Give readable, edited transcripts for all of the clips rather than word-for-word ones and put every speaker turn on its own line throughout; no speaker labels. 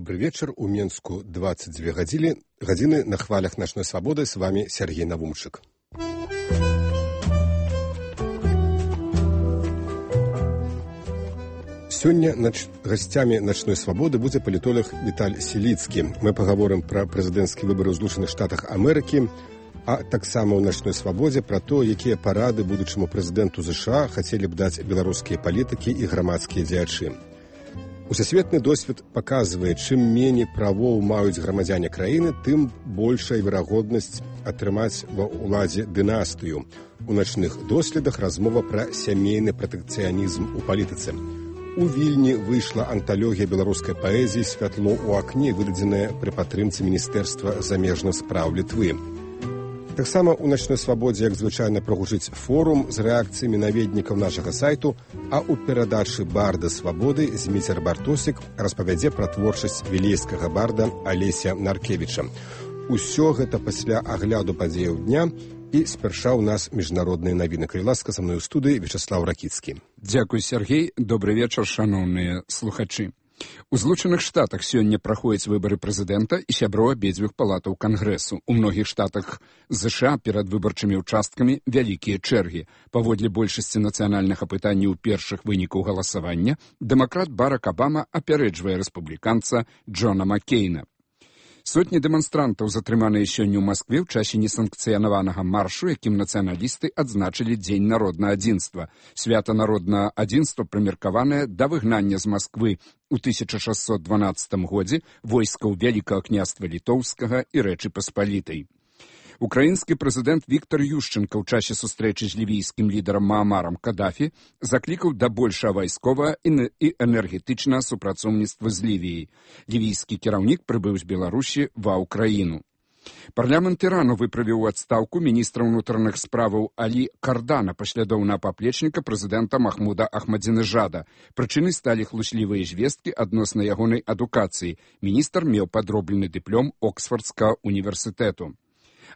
Добрый вечер. У Менску 22 гадзіны на хвалях «Ночной свободы». С вами Сергей Навумчик. Сёння гостями «Ночной свободы» будзе палітолог Віталь Селіцкі. Мы паговорым пра прэзідэнцкія выбары ў Злучаных Штатах Амерыкі, а таксама ў «Ночной свободе» пра то, якія парады будучаму прэзідэнту США хацелі б даць беларускія палітыкі і грамадскія дзеячы. Усесветны досвед паказвае, чым меней правоў маюць грамадзяне краіны, тым большая верагоднасць атрымаць ва ўладзе дынастыю. У начных доследах размова пра сямейны пратэкцыянізм у палітыцы. У Вільні выйшла анталогія беларускай паэзіі «Святло ў акне», выдадзеная пры падтрымцы Міністэрства замежных спраў Літвы. Таксама ў «Ночной свободе», як звычайна, прагучыць форум з рэакцыямі наведнікаў нашага сайту, а ў перадачы «Барда свабоды» Зміцер Бартосік распавядзе пра творчасць вілейскага барда Алеся Наркевіча. Усё гэта пасля агляду падзеяў дня. І спярша ў нас міжнародныя навіны. Калі ласка, са мной у студыі Вячеслав Ракіцкі.
Дзякуй, Сергей. Добрый вечар, шаноўныя слухачы. У Злучаных Штатах сёння праходзяць выбары прэзідэнта і сяброў абедзвюх палатаў Кангрэсу. У многіх штатах ЗША перад выбарчымі ўчасткамі вялікія чэргі. Паводле большасці нацыянальных апытанняў першых вынікаў галасавання, дэмакрат Барак Абама апярэджвае рэспубліканца Джона Маккейна. Сотні дэманстрантаў затрыманыя сёння ў Маскве ў часе несанкцыянаванага маршу, якім нацыяналісты адзначылі Дзень народнага адзінства. Свята народнага адзінства прымеркаванае да выгнання з Масквы ў 1612 годзе войскаў Вялікага княства Літоўскага і Рэчы Паспалітай. Украінскі прэзідэнт Віктор Ющенка ў часе сустрэчы з лівійскім лідарам Маамарам Кадафі заклікаў да большага вайсковага і энергетычнага супрацоўніцтва з Лівіяй. Лівійскі кіраўнік прыбыў з Беларусі ва ўкраіну. Парламент Ірану выправіў у адстаўку міністра ўнутраных справаў Алі Кардана, паслядоўнага паплечніка прэзідэнта Махмуда Ахмадзінежада. Прычынай сталі хлуслівыя звесткі адносна ягонай адукацыі. Міністр меў падроблены дыплом Оксфордскага універсітэту.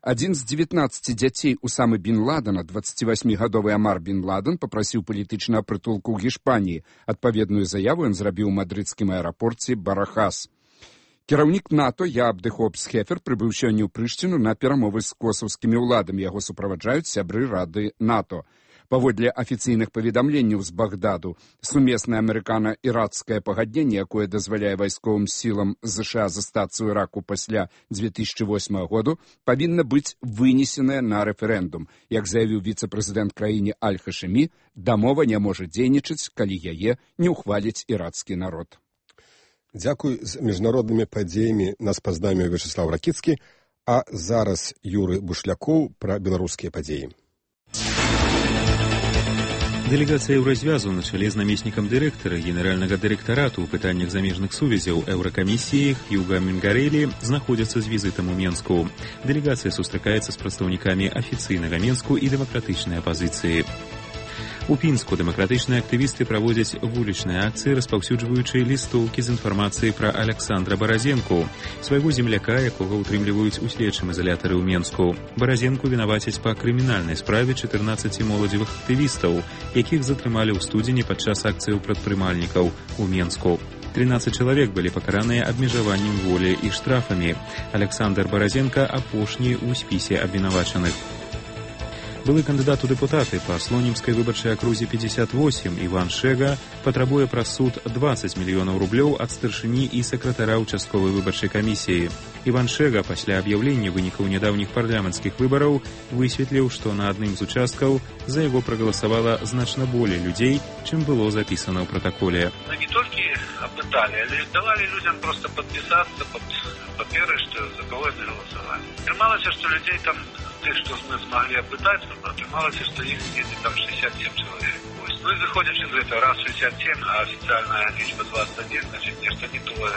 Адзін з 19 дзяцей Усамы бін Ладена, 28-гадовы Амар бін Ладен, папрасіў палітычнага прытулку ў Гішпаніі. Адпаведную заяву ён зрабіў у мадрыдскім аэрапорце Барахас. Кіраўнік НАТО Яаб де Хопс-Хефер прыбыў сёння ў Прышціну на перамовы з косаўскімі ўладамі. Яго суправаджаюць сябры Рады НАТО. Паводле афіцыйных паведамленняў з Багдаду, сумеснае амерыкана-іракскае пагадненне, якое дазваляе вайсковым сілам ЗША застацца ў Іраку пасля 2008 году, павінна быць вынесенае на рэферэндум. Як заявіў віцэ-прэзідэнт краіны Аль-Хашымі, дамова не можа дзейнічаць, калі яе не ўхваліць іракскі народ.
Дзякуй. З міжнароднымі падзеямі нас пазнаміў Вячеслав Ракіцкі, а зараз Юры Бушлякоў пра беларускія падзеі.
Дэлегацыя Еўразвязу на чале з намеснікам дырэктара генеральнага дырэктарату ў пытаннях замежных сувязяў Еўракамісіі Хьюга Мінгарэлі знаходзяцца з візітам у Менску. Дэлегацыя сустракаецца з прадстаўнікамі афіцыйнага Менску і дэмакратычнай апазіцыі. У Пінску дэмакратычныя актывісты праводзяць вулічныя акцыі, распаўсюджваючы лістоўкі з інфармацыяй пра Аляксандра Баразенку, свайго земляка, якога ўтрымліваюць у следчым изолятары ў Менску. Баразенку вінавацяць па крымінальнай справе 14 моладзевых актывістаў, якіх затрымалі ў студзені падчас акцыяў прадпрымальнікаў у Менску. 13 чалавек былі пакараныя абмежаваннем волі і штрафамі. Аляксандр Баразенка апошні ў спісе абвінавачаных. Былы кандыдат у дэпутаты па Слонімскай выбарчай акрузе 58 Іван Шэга патрабуе праз суд 20 мільёнаў рублёў ад старшыні і сакратара ўчастковай выбарчай камісіі. Іван Шэга пасля аб'яўлення вынікаў нядаўніх парламенцкіх выбараў высветліў, што на адным з участкаў за яго прагаласавала значна болей людзей, чым было запісана ў пратаколе.
Не толькі апыталі, але давалі людзям проста падпісацца пад паперы, што за кого яны галасавалі. Атрымалася, што людзей там, тых, што мы змаглі апытаць, атрымалася, што іх недзе там 67 чалавек. Ну і выходзячы з гэтага, раз 67, а афіцыяльная лічба 21, значыць, нешта не тое.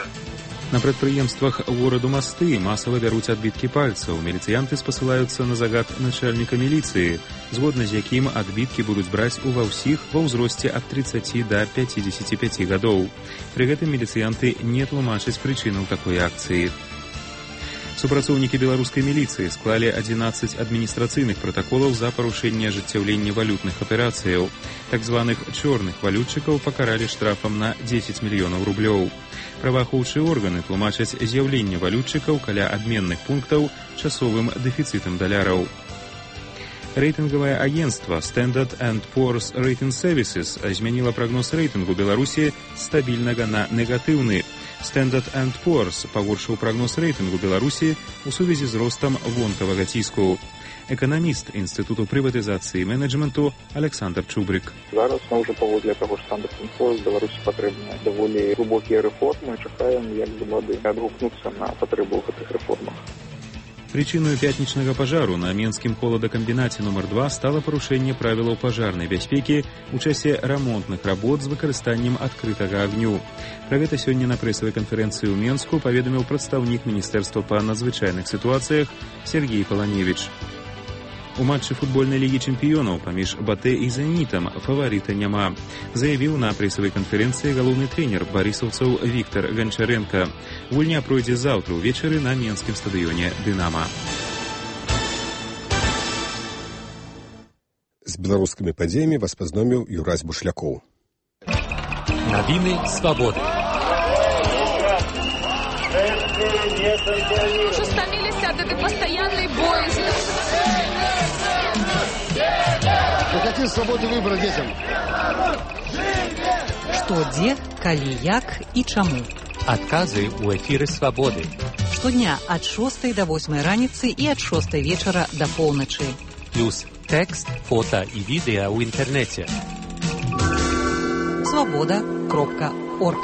На прадпрыемствах гораду Масты масава бяруць адбіткі пальцаў. Міліцыянты спасылаюцца на загад начальніка міліцыі, згодна з якім адбіткі будуць браць ува ўсіх ва ўзросце ад 30 да 55 гадоў. Пры гэтым міліцыянты не тлумачаць прычынаў такой акцыі. Супрацоўнікі беларускай міліцыі склалі 11 адміністрацыйных пратаколаў за парушэнне ажыццяўлення валютных аперацыяў. Так званых чорных валютчыкаў пакаралі штрафам на 10 мільёнаў рублёў. Праваахоўчыя органы тлумачаць з'яўленне валютчыкаў каля абменных пунктаў часовым дэфіцытам даляраў. Рэйтынгавае агенцтва Standard & Poor's Rating Services змяніла прагноз рэйтынгу Беларусі з стабільнага на негатыўны. Standard & Poor's пагоршыў прагноз рэйтынгу Беларусі ў сувязі з ростам вонкавага ціску. Эканаміст Інстытуту прыватызацыі і менеджменту Александр Чубрык.
Зараз мы ўжо паводле таго ж Standard & Poor's Беларусі патрэбныя даволі глыбокія рэформы. Чакаем, як улады адгукнуцца на патрэбу гэтых рэформах.
Причиной пятничного пожару на Менскім холадакамбінаце номер 2 стало парушэнне правілаў пажарнай бяспекі ў часе рамонтных работ з выкарыстаннем адкрытага агню. Пра гэта сёння на прэсавай канферэнцыі ў Менску паведаміў прадстаўнік Міністэрства па надзвычайных сітуацыях Сергей Паланевіч. У матчы футбольнай лігі чэмпіёнаў паміж Батэ і Зенітам фаварыта няма, заявіў на прэсавай канферэнцыі галоўны трэнер барысаўцаў Віктор Ганчаренко. Гульня пройдзе заўтра ўвечары на менскім стадыёне «Дынама».
З беларускімі падзеямі вас пазноміў Юрась Бушлякоў.
Навіны свабоды.
Уже стомились от этой постоянной боязни.
Какие свободы выбора детям?
Што, дзе, калі, як і чаму.
Адказы ў эфіры свабоды.
Штодня ад 6 до 8 раніцы і ад 6 вечара до поўначы.
Плюс тэкст, фота і відэа ў інтэрнэце.
Свабода.орг.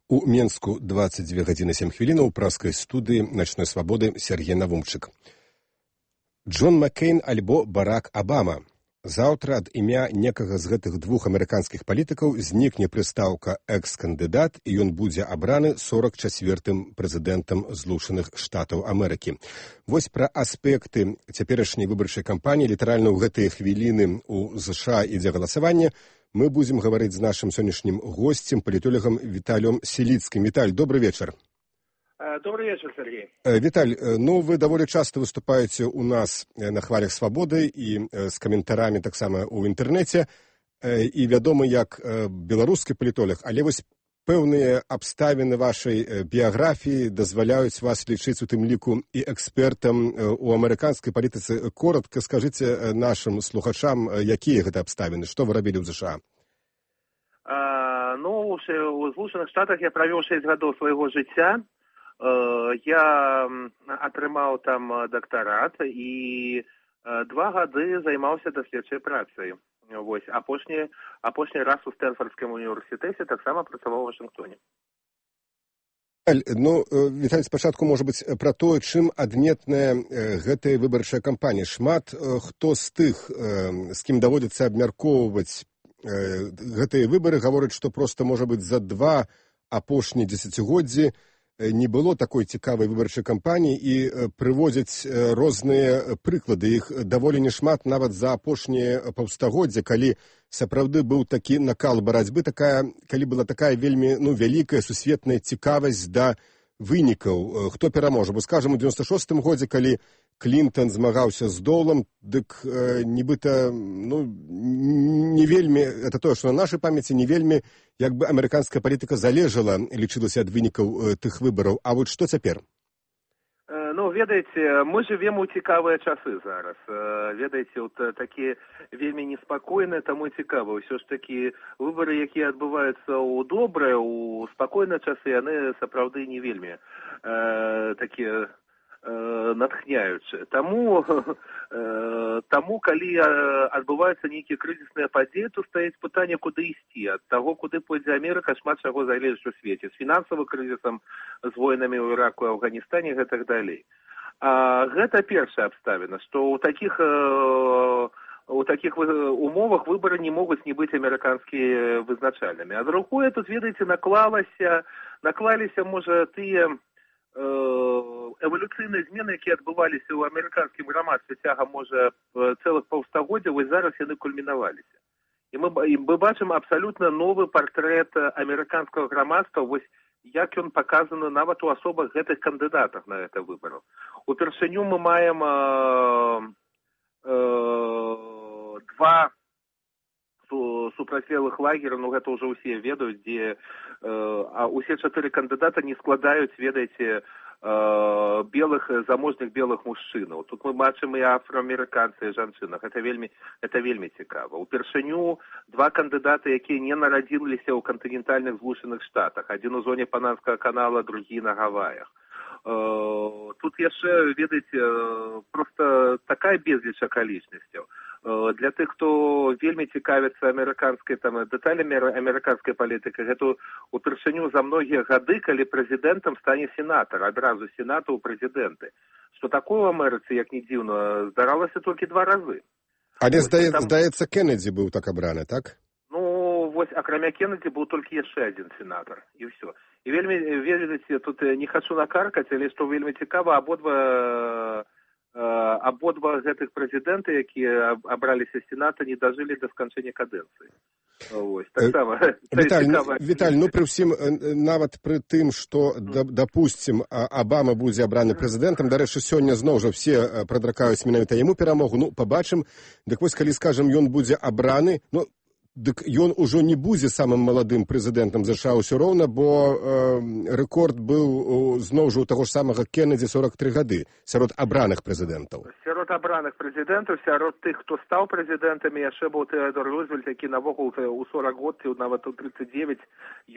У Менску 22 гадзіны 7 хвілінаў у праскай студыі «Начной свабоды» Сергей Навумчык. Джон Маккейн альбо Барак Абама. Заўтра ад імя некага з гэтых двух амерыканскіх палітыкаў знікне прыстаўка «экс-кандыдат» і ён будзе абраны 44-м прэзідэнтам Злучаных Штатаў Амерыкі. Вось пра аспекты цяперашняй выбарчай кампаніі літаральна ў гэтыя хвіліны ў ЗША ідзе галасаванне. Мы будзем гаварыць з нашым сённяшнім госцем, палітолагам Віталем Сіліцкім. Віталь, добрый вечар.
Добрый вечер, Сергей.
Виталь, ну вы даволі часто выступаете у нас на хвалях свабоды і з каментарамі таксама ў інтэрнэце, і вядомы як беларускі палітолог, але вось пэўныя абставіны вашай біяграфіі дазваляюць вас лічыць у тым ліку і экспертам у амерыканскай палітыцы. Коротка скажыце нашым слухачам, якія гэта абставіны, што вы рабілі ў ЗША?
Ну, у Злучаных Штатах я правёў 6 гадоў свайго жыцця. Я атрымаў там дактарат і 2 гады займаўся даследчай працай. Вось, апошні раз у Стэнфордскім універсітэце таксама працаваў у Вашынгтоне.
Ну, Віталь, спачатку, можа быць, пра тое, чым адметная гэтая выбарчая кампанія. Шмат хто з тых, з кім даводзіцца абмяркоўваць гэтыя выбары, гавораць, што проста, можа быць, за 2 апошнія дзесяцігоддзі не было такой цікавай выбарчай кампаніі і прыводзяць розныя прыклады. Іх даволі нешмат нават за апошнія паўстагоддзя, калі сапраўды быў такі накал барацьбы, калі была такая вельмі вялікая сусветная цікавасць да вынікаў. Хто пераможа? Бо, скажам, у 96-м годзе, калі Клінтон змагаўся з Долам, дык нібыта, не вельмі, это тое, што на нашай памяці не вельмі, як бы амерыканская палітыка залежала, лічылася ад вынікаў тых выбараў. А вот што цяпер?
Ну, ведаеце, мы жывем у цікавыя часы зараз. Ведаеце, от такі вельмі неспакойныя, таму цікава. Ўсё ж такі выбары, якія адбываюцца ў добрыя, у спакойныя часы, яны сапраўды не вельмі такія натхняючыя. Таму, калі адбываюцца нейкія крызісныя падзеі, то стаіць пытанне, куды ісці. Ад таго, куды пойдзе Амерыка, шмат чаго залежыць у свеце. З фінансавым крызісам, з войнамі ў Іраку, Афганістане і гэтак далей. Гэта першая абставіна, што ў такіх умовах выбары не могуць не быць амерыканскія вызначальнымі. А другое, тут, ведаеце, наклаліся, можа, тыя эволюцыйныя змены, якія адбываліся ў амерыканскім грамадстве цягам, можа, цэлых паўстагоддзяў, вось зараз яны кульмінаваліся. І мы бачым абсалютна новы партрэт амерыканскага грамадства, вось як ён паказаны нават у асобах гэтых кандыдатах на гэта выбараў. Упершыню мы маем два супрацьлеглых лагеря, ну гэта ўжо ўсе ведаюць, дзе усе 4 кандыдата не складаюць, ведаеце, белых, заможных белых мужчынаў. Тут мы бачым і афроамерыканцы, і жанчынах. Гэта вельмі цікава. Упершыню 2 кандыдаты, якія не нарадзіліся ў кантынентальных Злучаных Штатах. Адзін у зоне Панамскага канала, другі на Гаваях. Тут яшчэ, ведаеце, просто такая безліч акалічнасцяў. Для тых, хто вельмі цікавіцца амерыканскай, там, дэталямі амерыканскай палітыкі, гэта упершыню за многія гады, калі прэзідэнтам стане сенатар, адразу сенату ў прэзідэнты. Што такое ў Амерыцы, як не дзіўна, здаралася толькі 2 разы.
Але, здаецца, Кеннеді быў так абраны, так?
Ну, вось, акрамя Кеннеді быў толькі яшчэ адзін сенатар, і ўсё. І вельмі, ведаеце, тут не хачу накаркаць, але што вельмі цікава, абодва гэтых прэзідэнты, якія абраліся з сената, не дажылі да сканчэння кадэнцыі. Вось, таксама.
Віталь, ну, пры ўсім, нават пры тым, што, дапусцім, Абама будзе абраны прэзідэнтам, дарэчы, сёння зноў жа все прадракаюць менавіта яму перамогу, ну, пабачым, дык вось, калі, скажам, ён будзе абраны, ну, дык ён ужо не будзе самым маладым прэзідэнтам ЗША ўсё роўна, бо рэкорд быў зноў жа у таго ж самага Кеннеді 43 гады сярод абраных прэзідэнтаў.
Сярод абраных прэзідэнтаў, сярод тых, хто стаў прэзідэнтамі, яшчэ быў Тэадор Рузвельт, які навогул у 40 год, нават у 39,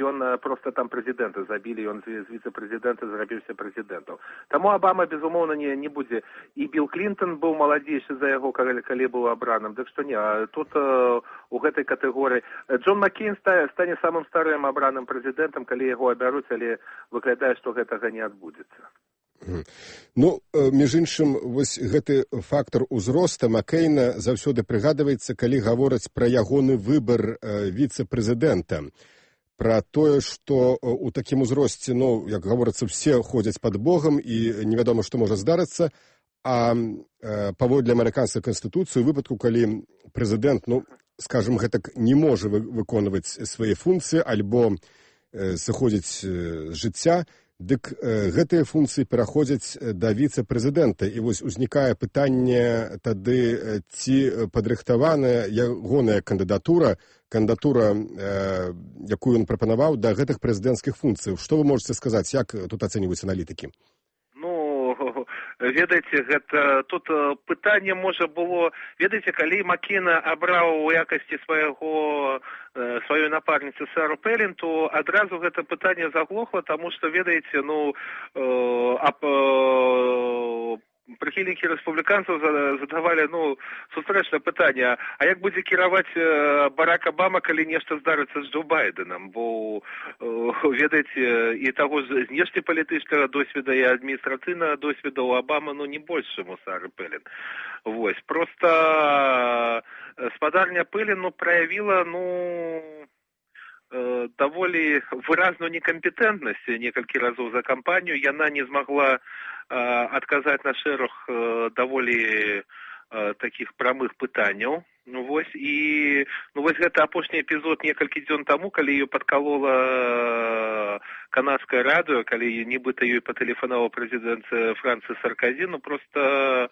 ён проста там прэзідэнта забілі, ён з віцэ-прэзідэнта зрабіўся прэзідэнтам. Таму Абама, безумоўна, не будзе. І Білл Клінтон быў маладзейшы за яго, калі быў абраным. Дык што не, тут у гэтай катэгорыі Джон Маккейн стане самым старым абраным прэзідэнтам, калі яго абяруць, але выглядае, што гэтага не адбудзецца.
Ну, між іншым, вось гэты фактор узроста Маккейна заўсёды прыгадваецца, калі гавораць пра ягоны выбар віцэ-прэзідэнта. Пра тое, што ў такім узросце, ну, як гаворыцца, все ходзяць пад Богам і невядома, што можа здарыцца, а паводле амерыканскай канстытуцыі, у выпадку, калі прэзідэнт, ну, скажем, гэтак не можа выконваць свае функцыі альбо сыходзіць з жыцця, дык гэтыя функцыі пераходзяць да віцэ-прэзідэнта. І вось узнікае пытанне тады, ці падрыхтаваная ягоная кандыдатура, якую ён прапанаваў да гэтых прэзідэнцкіх функцый. Што вы можаце сказаць, як тут ацэньваюць аналітыкі?
Ведаеце, гэта тут пытанне можа было, ведаеце, калі Маккейна абраў у якасці сваёй напарніцы Сару Пэлін, то адразу гэта пытанне заглохла, таму што, ведаеце, ну, прыхільнікі рэспубліканцаў задавалі, ну, сустрэчнае пытанне, а як будзе кіраваць Барак Абама, калі нешта здарыцца з Джо Байденам, бо, ведаеце, і таго з знешнепалітычнага досведа і адміністрацыйнага досведа у Абама, ну, не больш, чым у Сары Пэлін. Вось, проста спадарня Пэлін, ну, праявіла, ну, даволі выразную некампетэнтнасць некалькі разоў за кампанію, яна не змагла адказаць на шэраг даволі такіх прамых пытанняў. Ну вось, і вось гэта апошні эпізод некалькі дзён таму, калі ее падкалола канадскае радыё, калі нібыта ёй патэлефанаваў прэзідэнт Францыі Сарказі, ну проста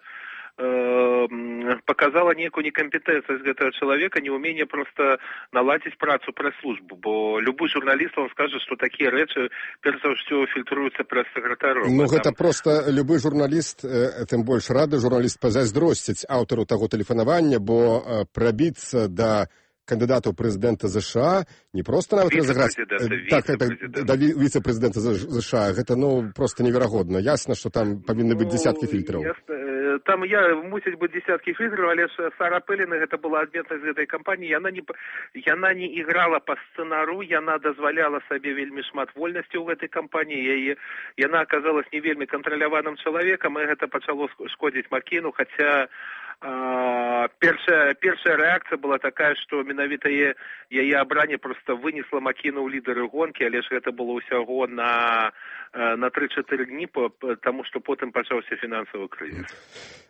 показала некую некомпетентность гэтага чалавека, неумение просто наладзіць працу прэс-службу, бо любой журналіст вам скажа, што такія рэчы перш за ўсё фільтруюцца прэс-сакратаром.
Ну гэта просто любой журналіст, тым больш рады журналіст пазайздросціць аўтару таго тэлефанавання, бо прабіцца да кандыдатаў прэзідэнта ЗША не проста нават разыграць да віцэ-прэзідэнта ЗША, гэта, ну, проста неверагодна. Ясна, што там павінны быць дзесяткі фільтраў.
Там мусіць быць дзесяткі фільтраў, але ж Сара Пэлін, гэта была адметнасць гэтай кампаніі, яна не іграла па сцэнару, яна дазваляла сабе вельмі шмат вольнасці ў гэтай кампаніі, яна аказалась не вельмі кантраляваным чалавекам, і гэта пачало шкодзіць Маккейну, хаця першая рэакцыя была такая, што менавіта яе абранне проста вынесла Маккейна ў лідары гонкі, але ж гэта было ўсяго на на 3-4 дні, тому що потім почався фінансовий кризис.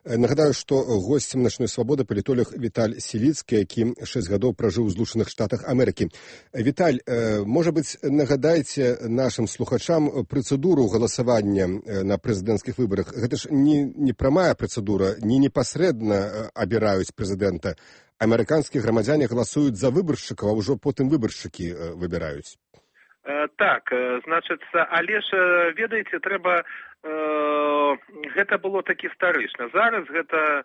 Нагадаю, што госцем начной свабоды палітолог Віталь Сіліцкі, які 6 гадоў пражыў у Злучаных Штатах Амерыкі. Віталь, можа быць, нагадайце нашым слухачам працэдуру галасавання на прэзідэнцкіх выбарах. Гэта ж не прамая працэдура, не непасрэдна абіраюць прэзідэнта. Амерыканскія грамадзяне галасуюць за выбаршчыкаў, а ўжо потым выбаршчыкі выбіраюць.
Так, значыцца, але ж, ведаеце, трэба... Гэта было такі старычна. Зараз гэта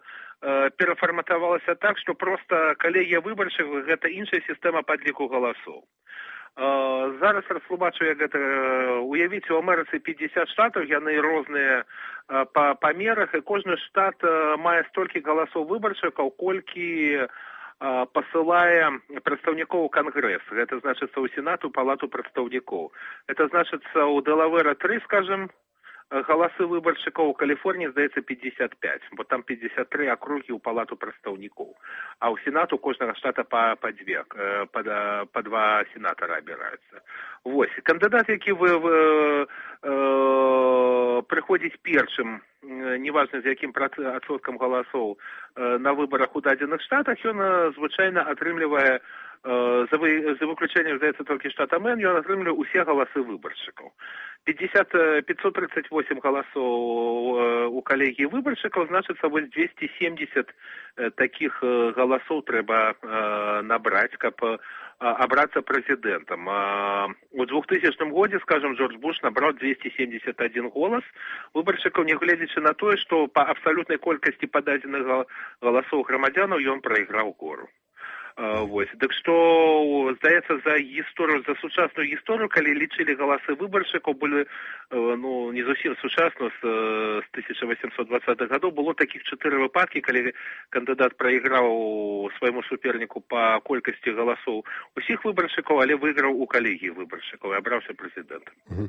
перафарматавалася так, што проста калегія выбаршчыкаў гэта іншая сістэма падліку галасоў. Зараз растлумачу, як гэта... Уявіце, у Амерыцы 50 штатаў, яны розныя па памерах, і кожны штат мае столькі галасоў выбаршчыкаў, колькі посылае прадстаўнікоў у Кангрэс. Гэта значыцца ў Сенат, у Палату прадстаўнікоў. Гэта значыцца ў Дэлавере 3, скажем, галасы выбаршчыкаў, у Каліфорніі, здаецца, 55, бо там 53 акругі ў Палату прадстаўнікоў. А ў Сенат у кожнага штата па 2 сенатара абіраюцца. Вось, кандыдат, які прыходзіць першым, неважна з якім адсоткам галасоў на выбарах у дадзеных штатах, ён звычайна атрымлівае, за выключэннем, здаецца, толькі штата Мэн, ён атрымлівае усе галасы выбаршчыкаў. 538 галасоў у калегіі выбаршчыкаў, значыцца, вось 270 такіх галасоў трэба набраць, каб абрацца прэзідэнтам. У 2000 годзе, скажем, Джордж Буш набраў 271 голас выбаршчыкаў, нягледзячы на тое, што па абсалютнай колькасці пададзеных галасоў грамадзянаў ён прайграў гору. Вось. Дык што, здаецца, за сучасную гісторыю, калі лічылі галасы выбаршчыкаў, былі, не зусім сучасна, з 1820-х гадоў, было такіх 4 выпадкі, калі кандыдат прайграў свайму суперніку па колькасці галасоў усіх выбаршчыкаў, але выйграў у калегіі выбаршчыкаў і абраўся прэзідэнтам.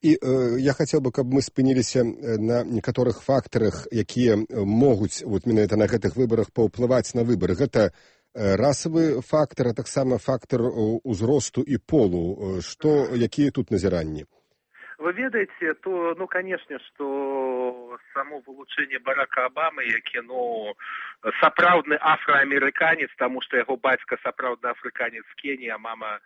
І я хацеў бы, каб мы спыніліся на некаторых фактарах, якія могуць менавіта на гэтых выбарах паўплываць на выбары. Гэта расавы фактар, а таксама фактар узросту і полу. Якія тут назіранні?
Вы ведаеце, то, канешне, што само вылучэнне Барака Абамы, які, сапраўдны афраамерыканец, таму што яго бацька сапраўдны афрыканец з Кеніі, а мама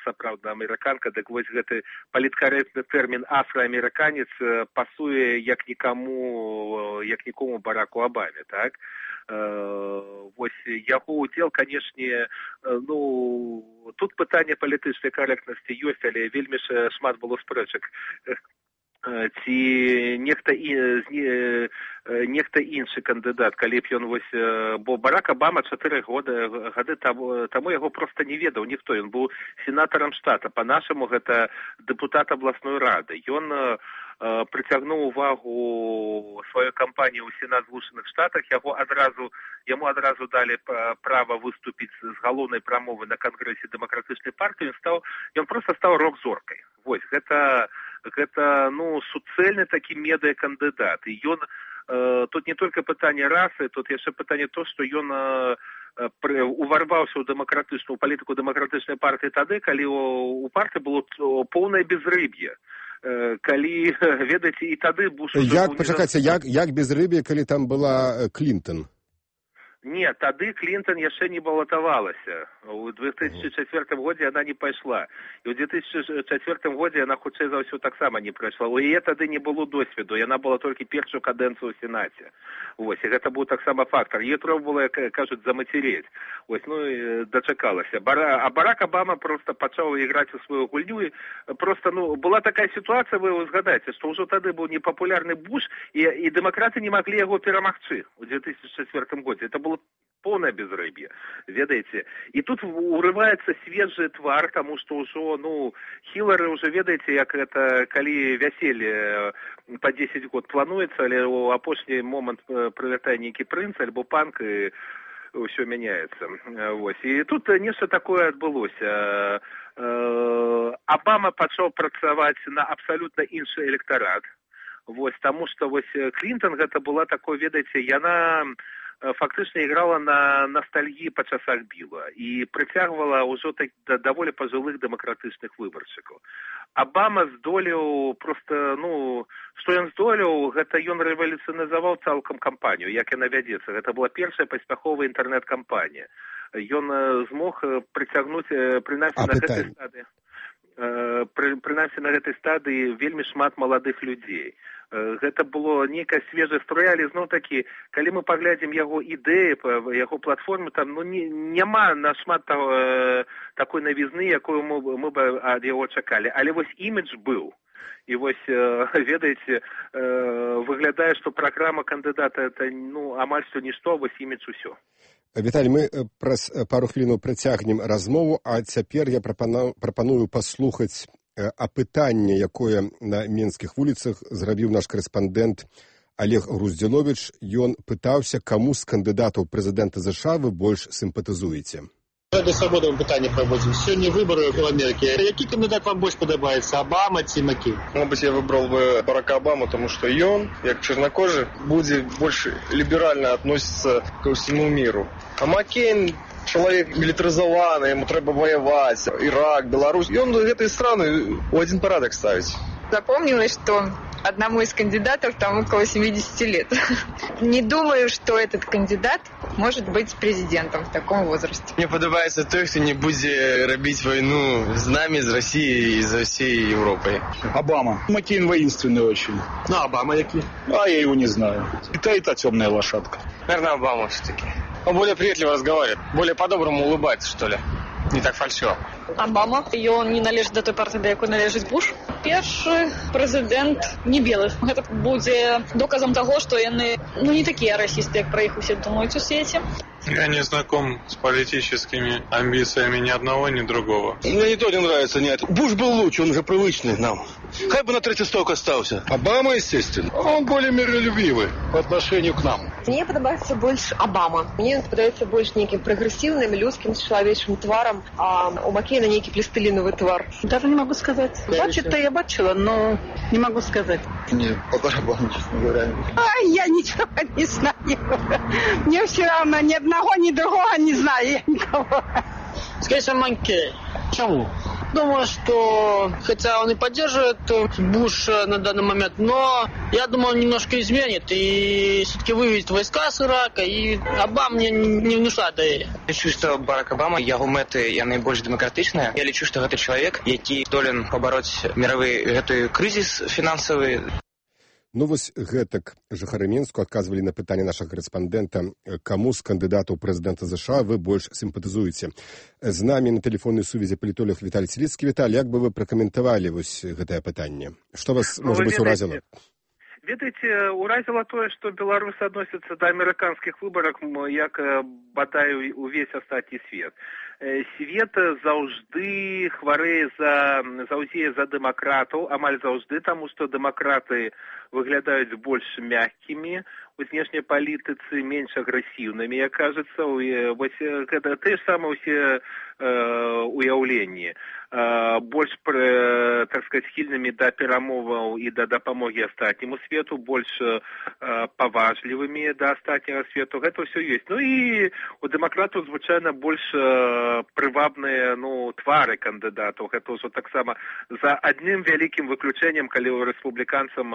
сапраўдная амерыканка, дык вось гэты паліткарэктны тэрмін афраамерыканец пасуе як нікому Бараку Абаме, так? Вось яго удзел, канешне, тут пытанне палітычнай карэктнасці ёсць, але вельмі шмат было спрэчак. Ці нехта іншы кандыдат, калі б ён бо Барак Абама 4 гады таму яго проста не ведаў ніхто, ён быў сенатарам штата, па-нашаму гэта дэпутат абласной рады. Ён прыцягнуў увагу сваёй кампаніі ў Сенат Злучаных Штатах, яму адразу далі права выступіць з галоўнай прамовы на кангрэсе дэмакратычнай партыі, ён проста стаў рок-зоркай. Вось, гэта суцэльны такі медыа-кандыдат. І ён, тут не толькі пытанне расы, тут яшчэ пытанне то, што ён уварваўся ў палітыку дэмакратычнай партыі тады, калі у партыі было поўнае безрыб'е. Калі, ведаеце, і тады Буш...
Пачакайце, як безрыб'е, калі там была Клінтон?
Не, тады Клінтон яшчэ не балатавалася. У 2004 годзе яна не пайшла. І ў 2004 годзе яна, хутчэй за ўсё, таксама не прайшла. У яе тады не было досведу. Яна была толькі першую кадэнцыю ў Сенаце. Вось, і гэта быў таксама фактар. Яе трэба было, кажуць, замацерець. Вось, і дачакалася. А Барак Абама проста пачаў іграць у сваю гульню. І проста, была такая сітуацыя, вы згадаеце, што ўжо тады быў непапулярны Буш, і дэмакраты не маглі яго перамагчы ў 2004 годзе. Это было полное безрыбье, ведаеце. І тут урываецца свежы твар, таму што ўжо, Хілары ўжо, ведаеце, як гэта, калі вяселле па 10 год плануецца, але ў апошні момант прылятае нейкі прынц альбо панк, і ўсё мяняецца. Вось. І тут нешта такое адбылося. Абама пачаў працаваць на абсалютна іншы электарат. Вось, таму што Клінтон гэта была такой, ведаеце, яна фактычна іграла на настальгіі па часах Біла і прыцягвала ўжо так да даволі пажылых дэмакратычных выбаршчыкаў. Абама здолеў проста, што ён здолеў, гэта ён рэвалюцыйназаваў цалкам кампанію, як яна вядзецца. Гэта была першая паспяховая інтэрнэт-кампанія. Ён змог прыцягнуць прынамсі на гэтай стадыі вельмі шмат маладых людзей. Гэта было нейкая свежая струя, але зноў-такі, калі мы паглядзім яго ідэі, яго платформу, там няма нашмат такой навізны, якую мы бы ад яго чакалі. Але вось імідж быў. І вось, ведаеце, выглядае, што праграма кандыдата это амаль што нішто, вось імідж усё.
Віталій, мы праз пару хвілінаў працягнем размову, а цяпер я прапаную паслухаць апытанне, якое на менскіх вуліцах зрабіў наш корэспандэнт Олег Груздзіловіч. Ён пытаўся, каму з кандыдатаў прэзідэнта США вы больш сімпатызуеце.
Ради свободы мы пытанне праводзім. Сёння выбары в Америке. Які кандыдат вам больш падабаецца? Обама ці Маккейн?
Может быть, я выбрал бы Барака Обаму, потому что ён, як чернокожий, будет больше либерально относиться ко всему миру. А Маккейн человек милитаризованный, ему треба воевать. Ирак, Беларусь. И он этой страны в один порядок ставить.
Запомнилось, что одному из кандидатов там около 70 лет. Не думаю, что этот кандидат может быть президентом в таком возрасте.
Мне подобается той, кто не будет робить войну с нами, с Россией и за всей Европой.
Обама. Маккейн воинственный очень.
Ну, Обама який?
А я его не знаю. И та темная лошадка.
Наверное, Обама все-таки. Он более приветливо разговаривает, более по-доброму улыбается, что ли. Не так фальшиво.
Обама. Ён не належыць да той партыі, да якой належыць Буш. Першы прэзідэнт не белы. Гэта будзе доказам таго, што яны не такія расісты, як пра іх усе думаюць у свеце.
Я не знаком с политическими амбициями ни одного, ни другого.
Мне не то не нравится, нет. Буш был лучше, он же привычный нам. Хай бы на третий сток остался.
Обама, естественно. Он более миролюбивый по отношению к нам.
Мне подобается больше Обама. Мне подобается больше неким прогрессивным, людским, человеческим тваром, а у Маккейна некий пластилиновый твар.
Даже не могу сказать. Бачить-то я бачила, но не могу сказать.
Не, по барабану, честно говоря.
Я ничего не знаю. Мне все равно ни одного, ни другого не знаю я никого.
Скорее всего, Маккейн.
Почему?
Думаю, что, хотя он и поддерживает Буша на данный момент, но я думаю, он немножко изменит и все-таки выведет войска с Ирака, и Обама мне не внушает доверия.
Я лічу, што Барак Обама, яго мэты, яны больш дэмакратычныя. Я лічу, што гэта чалавек, які здолен пабароць міравы гэты крызіс фінансавы.
Вось гэтак жыхары Менску адказвалі на пытанне нашага корэспандэнта, каму з кандыдатаў прэзідэнта США вы больш сімпатызуеце. З намі на тэлефоннай сувязі палітолог Віталій Сіліцкі. Віталій, як бы вы пракаментавалі вось гэтае пытанне? Што вас, можа быць, уразіла?
Ведаеце, уразіла тое, што беларусы адносяцца да амерыканскіх выбарак, як бадай увесь астатні свет. Свет заўжды хварэе заўзее за дэмакратаў, амаль заўжды, таму што дэмакраты выглядаюць больш мяккімі у знешняй палітыцы, менш агрэсіўнымі, як кажацца. Вось гэта тыя ж самыя ўсе уяўленні. Больш, так сказаць, схільнымі да перамоваў і да дапамогі астатняму свету, больш паважлівымі да астатняга свету. Гэта ўсё ёсць. І у дэмакратаў звычайна больш прывабныя твары кандыдатаў. Гэта ўжо таксама за адным вялікім выключэннем, калі ў рэспубліканцам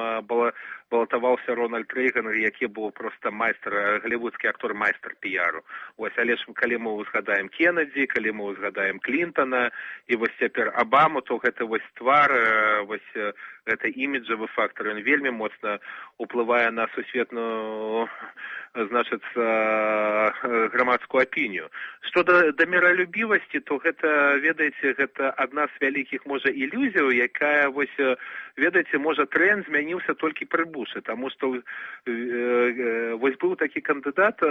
балатаваўся Рональд Рэйган, які быў проста майстар, галівудскі актор, майстар піяру. Вось, але ж калі мы узгадаем Кеннеді, калі мы узгадаем Клінтона, і вось цяпер Обаму, то гэта вось твар, вось гэта іміджавы фактор, ён вельмі моцна уплывае на сусветную, значыцца, грамадскую апінію. Што да міралюбівасці, то гэта, ведаеце, гэта адна з вялікіх, можа, ілюзіяў, якая, вось, ведаеце, можа, тренд змяніўся толькі пры Буше, таму што вось быў такі кандыдат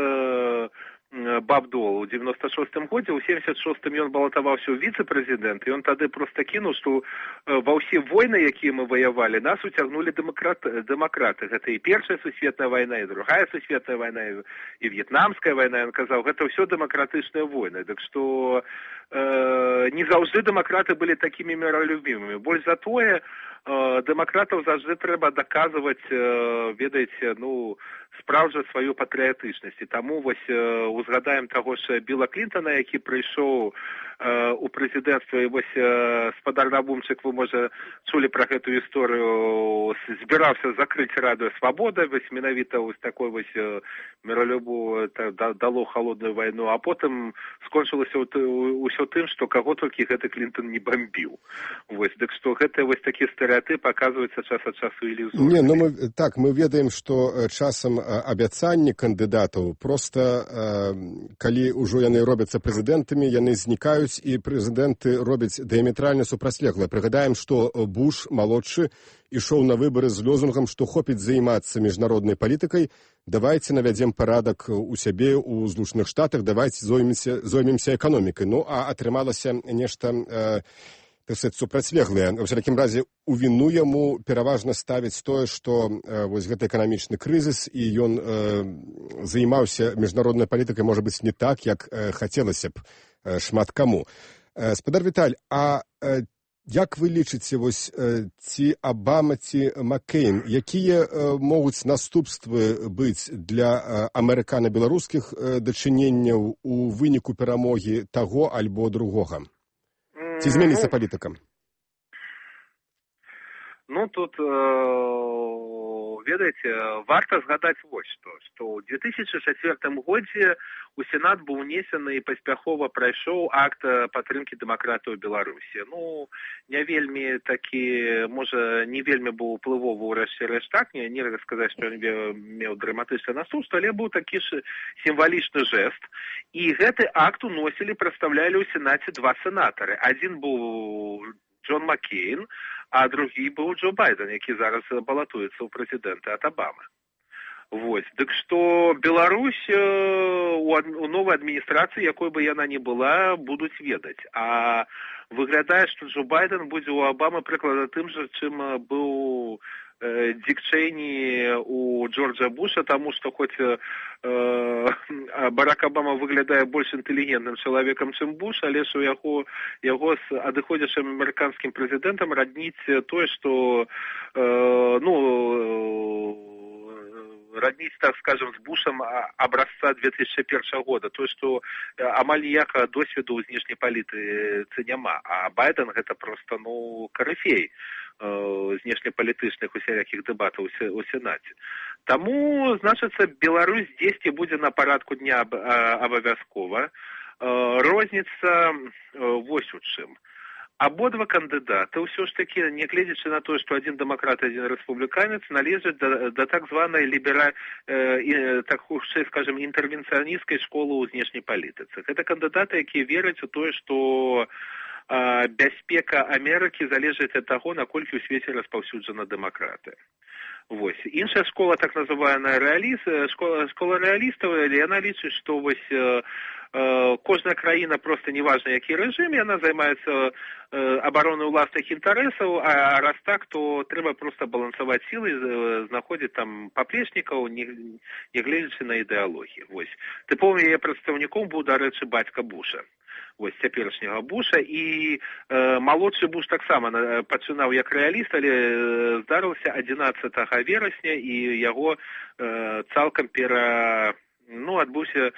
Баб Дол у 96-м годзе, у 76-м ён балатаваўся ў віцэ-прэзідэнт, і ён тады проста кінуў, што ва ўсе войны, якія мы ваявалі, нас уцягнулі дэмакраты. Гэта і Першая сусветная вайна, і Другая сусветная вайна, і В'етнамская вайна. Ён казаў, гэта ўсё дэмакратычныя войны. Так што не заўжды дэмакраты былі такімі міралюбімымі. Больш за тое, дэмакратаў заўжды трэба даказваць, ведаеце, спраўджваць сваю патрыятычнасць. І таму вось узгадаем таго ж Біла Клінтона, які прыйшоў у прэзідэнцтва, і вось спадар Набумчык, вы, можа, чулі пра гэту гісторыю, збіраўся закрыць Радыё Свабода, вось менавіта вось такой вось міралюбу дало холодную вайну, а потым скончылася ўсё тым, што каго толькі гэты Клінтон не бомбіў. Вось, дык што гэта вось такі стэрэатып аказваецца час ад часу ілюзорны.
Не, ну мы ведаем, што часам абяцанні кандыдатаў проста, калі ўжо яны робяцца прэзідэнтамі, яны знікаюць, і прэзідэнты робяць дыяметральна супрацьлеглае. Прыгадаем, што Буш малодшы ішоў на выбары з лозунгам, што хопіць займацца міжнароднай палітыкай, давайце навядзем парадак у сябе ў Злучаных Штатах, давайце зоймемся эканомікай. Ну, а атрымалася нешта супрацьлеглае. Ва ўсякім разе, у віну яму пераважна ставіць тое, што вось гэты эканамічны крызіс, і ён займаўся міжнароднай палітыкай, можа быць, не так, як хацелася б шмат каму. Спадар Віталь, а як вы лічыце, вось, ці Абама, ці Маккейн, якія могуць наступствы быць для амерыкана-беларускіх дачыненняў у выніку перамогі таго альбо другога? Ці зменіцца палітыка?
Ну, тут, ведаеце, варта згадаць вось што ў 2004 годзе у Сенат быў унесены і паспяхова прайшоў акт падтрымкі дэмакратыі ў Беларусі. Ну, не вельмі такі, можа, не вельмі быў уплывовы ў рэшце так, нельга сказаць, што ён меў драматычнае наступства, але быў такі ж сімвалічны жэст. І гэты акт уносілі, прадстаўлялі ў Сенаце два сенатары. Адзін быў Джон Маккейн, а другі быў Джо Байден, які зараз балатуецца ў прэзідэнты ад Абамы. Вось. Дык што Беларусь у новай адміністрацыі, якой бы яна ні была, будуць ведаць. А выглядае, што Джо Байден будзе ў Абамы прыкладна тым жа, чым быў Дик Чейні у Джорджа Буша, таму што хоць Барак Абама выглядае больш інтэлігентным чалавекам, чым Буш, але ж у яго з адыходзячым амерыканскім прэзідэнтам радніць тое, што роднить, так скажем, з Бушам образца 2001 года. То, што амаль ніякага досведу ў знешняй палітыцы няма. А Байден гэта просто, карыфей знешнепалітычных усялякіх дэбатаў у Сенаце. Таму, значыцца, Беларусь дзесьці будзе на парадку дня абавязкова. Розніца вось у чым. Абодва кандыдаты ўсё ж такі, нягледзячы на тое, што адзін дэмакрат, адзін рэспубліканец, належаць да так званай так хутчэй, скажем, інтэрвенцыянісцкай школы ў знешняй палітыцы. Гэта кандыдаты, якія вераць у тое, што бяспека Амерыкі залежыць ад таго, наколькі ў свеце распаўсюджана дэмакратыя. Вось. Іншая школа, так называная школа рэалістаў, яна лічыць, што вось кожная краіна, просто неважна, які рэжым, яна займаецца абаронай уласных інтарэсаў, а раз так, то трэба просто балансаваць сілы, знаходзіць там паплечнікаў, не гледзячы на ідэалогію. Вось. Тыповым яе прадстаўніком быў, дарэчы, бацька Буша. Вось, цяперашняга Буша, і малодшы Буш таксама пачынаў як рэаліст, але здарыўся 11 верасня, і яго цалкам адбыўся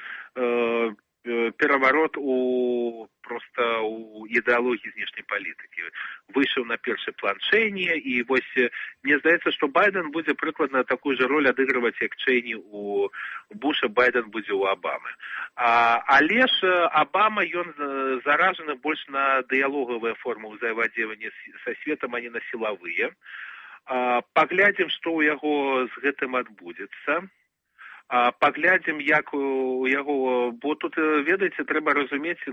пераварот у ідэалогіі знешняй палітыкі. Выйшаў на першы план Чейні, і вось мне здаецца, што Байден будзе прыкладна такую же роль адыгрываць, як Чейні у Буша, Байден будзе ў Абамы. Але ж Абама, ён заражаны больш на дыялогавыя формы ўзаемадзеяння са светам, а не на сілавыя. Паглядзім, што ў яго з гэтым адбудзецца. Паглядзім, як у яго, бо тут, ведаеце, трэба разумець,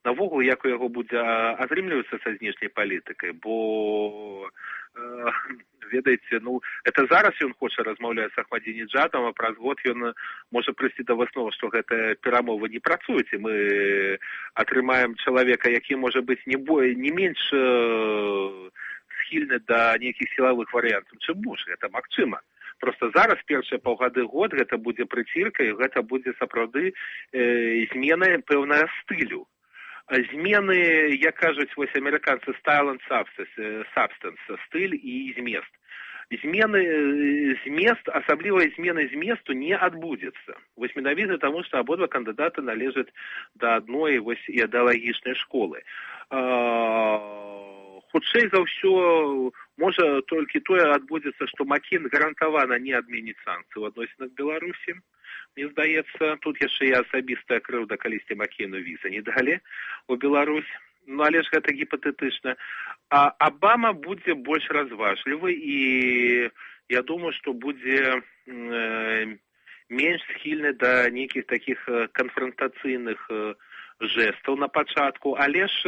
навогул, як у яго будзе атрымлівацца са знешняй палітыкай, бо, ведаеце, это зараз ён хоча размаўляць з Ахмадзінеджадам, а праз год ён можа прыйсці да высновы, што гэтыя перамовы не працуюць, і мы атрымаем чалавека, які можа быць не менш схільны да нейкіх сілавых варыянтаў, чым Буш, гэта магчыма. Просто зараз першыя паўгады год гэта будзе прыцірка, і гэта будзе сапраўды змена пэўнага стылю. Змены, як кажуць вось амерыканцы, style and substance, стыль і змест. асаблівай змены зместу не адбудзецца. Вось менавіта таму, што абодва кандыдаты належаць да адной ідэалагічнай школы. Хутчэй за ўсё, можа толькі тое адбудзецца, што Маккейн гарантавана не адменіць санкцыі ў адносінах Беларусі. Мне здаецца, тут яшчэ і асабістая крыўда, калісьці Маккейну візы не далі у Беларусь. Ну, але ж гэта гіпатэтычна. А Абама будзе больш разважлівы, і я думаю, што будзе менш схільны да нейкіх такіх канфрантацыйных жэстаў на пачатку, але ж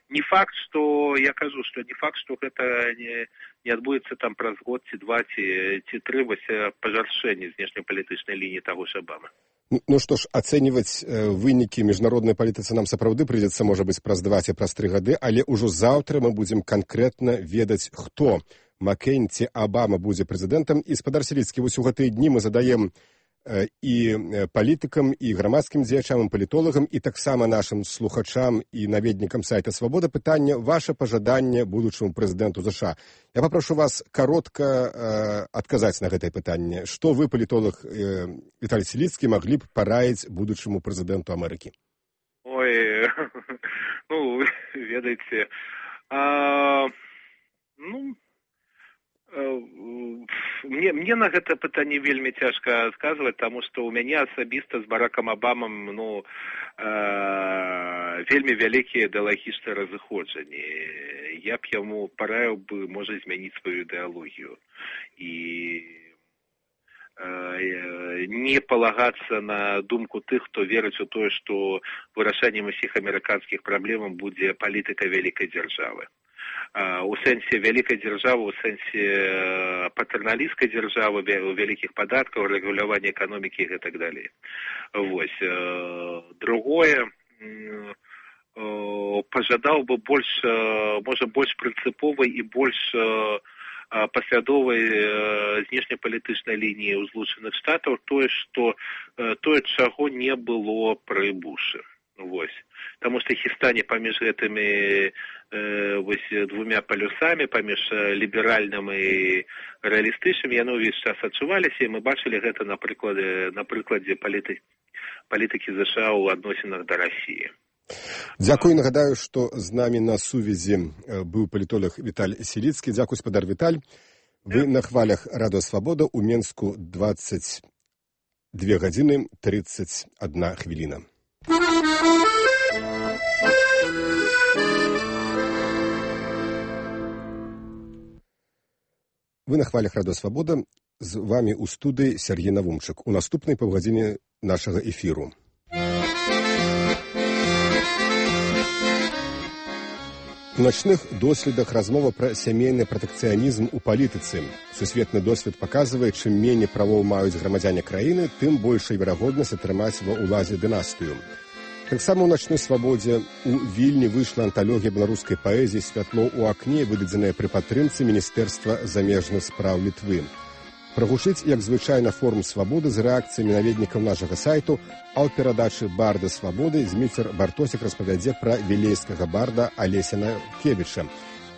не факт, што, я кажу, што не факт, што гэта не адбудзецца там праз год, ці два, ці тры, вось пажаршэнне знешнепалітычнай лініі таго ж Абамы.
Ну што ж, ацэньваць вынікі міжнароднай палітыцы нам сапраўды прыйдзецца, можа быць, праз 2 ці праз 3 гады, але ўжо заўтра мы будзем канкрэтна ведаць, хто, Маккейн ці Абама будзе прэзідэнтам. І, спадар Сіліцкі, вось у гэтыя дні мы задаем і палітыкам, і грамадскім дзеячам, і палітолагам, і таксама нашым слухачам і наведнікам сайта «Свабода» пытанне, ваше пажаданне будучаму прэзідэнту США. Я папрошу вас каротка адказаць на гэтае пытанне. Што вы, палітолог Віталій Сіліцкі, маглі б параіць будучаму прэзідэнту Амерыкі?
Ой, ну, ведаеце, мне на гэта пытанне вельмі цяжка адказваць, таму што ў мяне асабіста з Баракам Абамам вельмі вялікія ідэалагічныя разыходжанні. Я б яму параіў бы, можа, змяніць сваю ідэалогію і не палагацца на думку тых, хто верыць у тое, што вырашэннем усіх амерыканскіх праблемаў будзе палітыка вялікай дзяржавы. У сэнсе вялікай дзяржавы, у сэнсе патэрналісцкай дзяржавы, вялікіх падаткаў, рэгулявання эканомікі і так далей. Вось. Другое, пажадаў бы больш, можа, больш прынцыповай і больш паслядовай знешнепалітычнай лініі ў Злучаных Штатаў, тое, чаго не было пры Бушы. Вось. Таму што хістанне паміж гэтымі двумя палюсамі, паміж ліберальным і рэалістычным, яно ўвесь час адчуваліся, і мы бачылі гэта на прыкладзе палітыкі США ў адносінах да Расіі.
Дзякую, нагадаю, што з намі на сувязі быў палітолог Віталь Сіліцкі. Дзякуй, спадар Віталь. Вы на хвалях Радыё Свабода, у Менску 22 гадзіны 31 хвіліна. Вы на хвалях Радыё Свабода, з вами ў студыі Сергей Навумчык. У наступнай паўгадзіне нашага эфіру. У начных доследах размова пра сямейны пратэкцыянізм у палітыцы. Сусветны досвед паказвае, чым меней правоў маюць грамадзяне краіны, тым большая верагоднасць атрымаць ва ўладзе дынастыю. Таксама ў начной свабодзе у Вільні выйшла анталогія беларускай паэзіі «Святло ў акне», выдадзеная пры падтрымцы Міністэрства замежных спраў Літвы. Прагучыць, як звычайна, форум свабоды з рэакцыямі наведнікаў нашага сайту, а ў перадачы «Барда свабоды» Зміцер Бартосік распавядзе пра вілейскага барда Алеся Накевіча.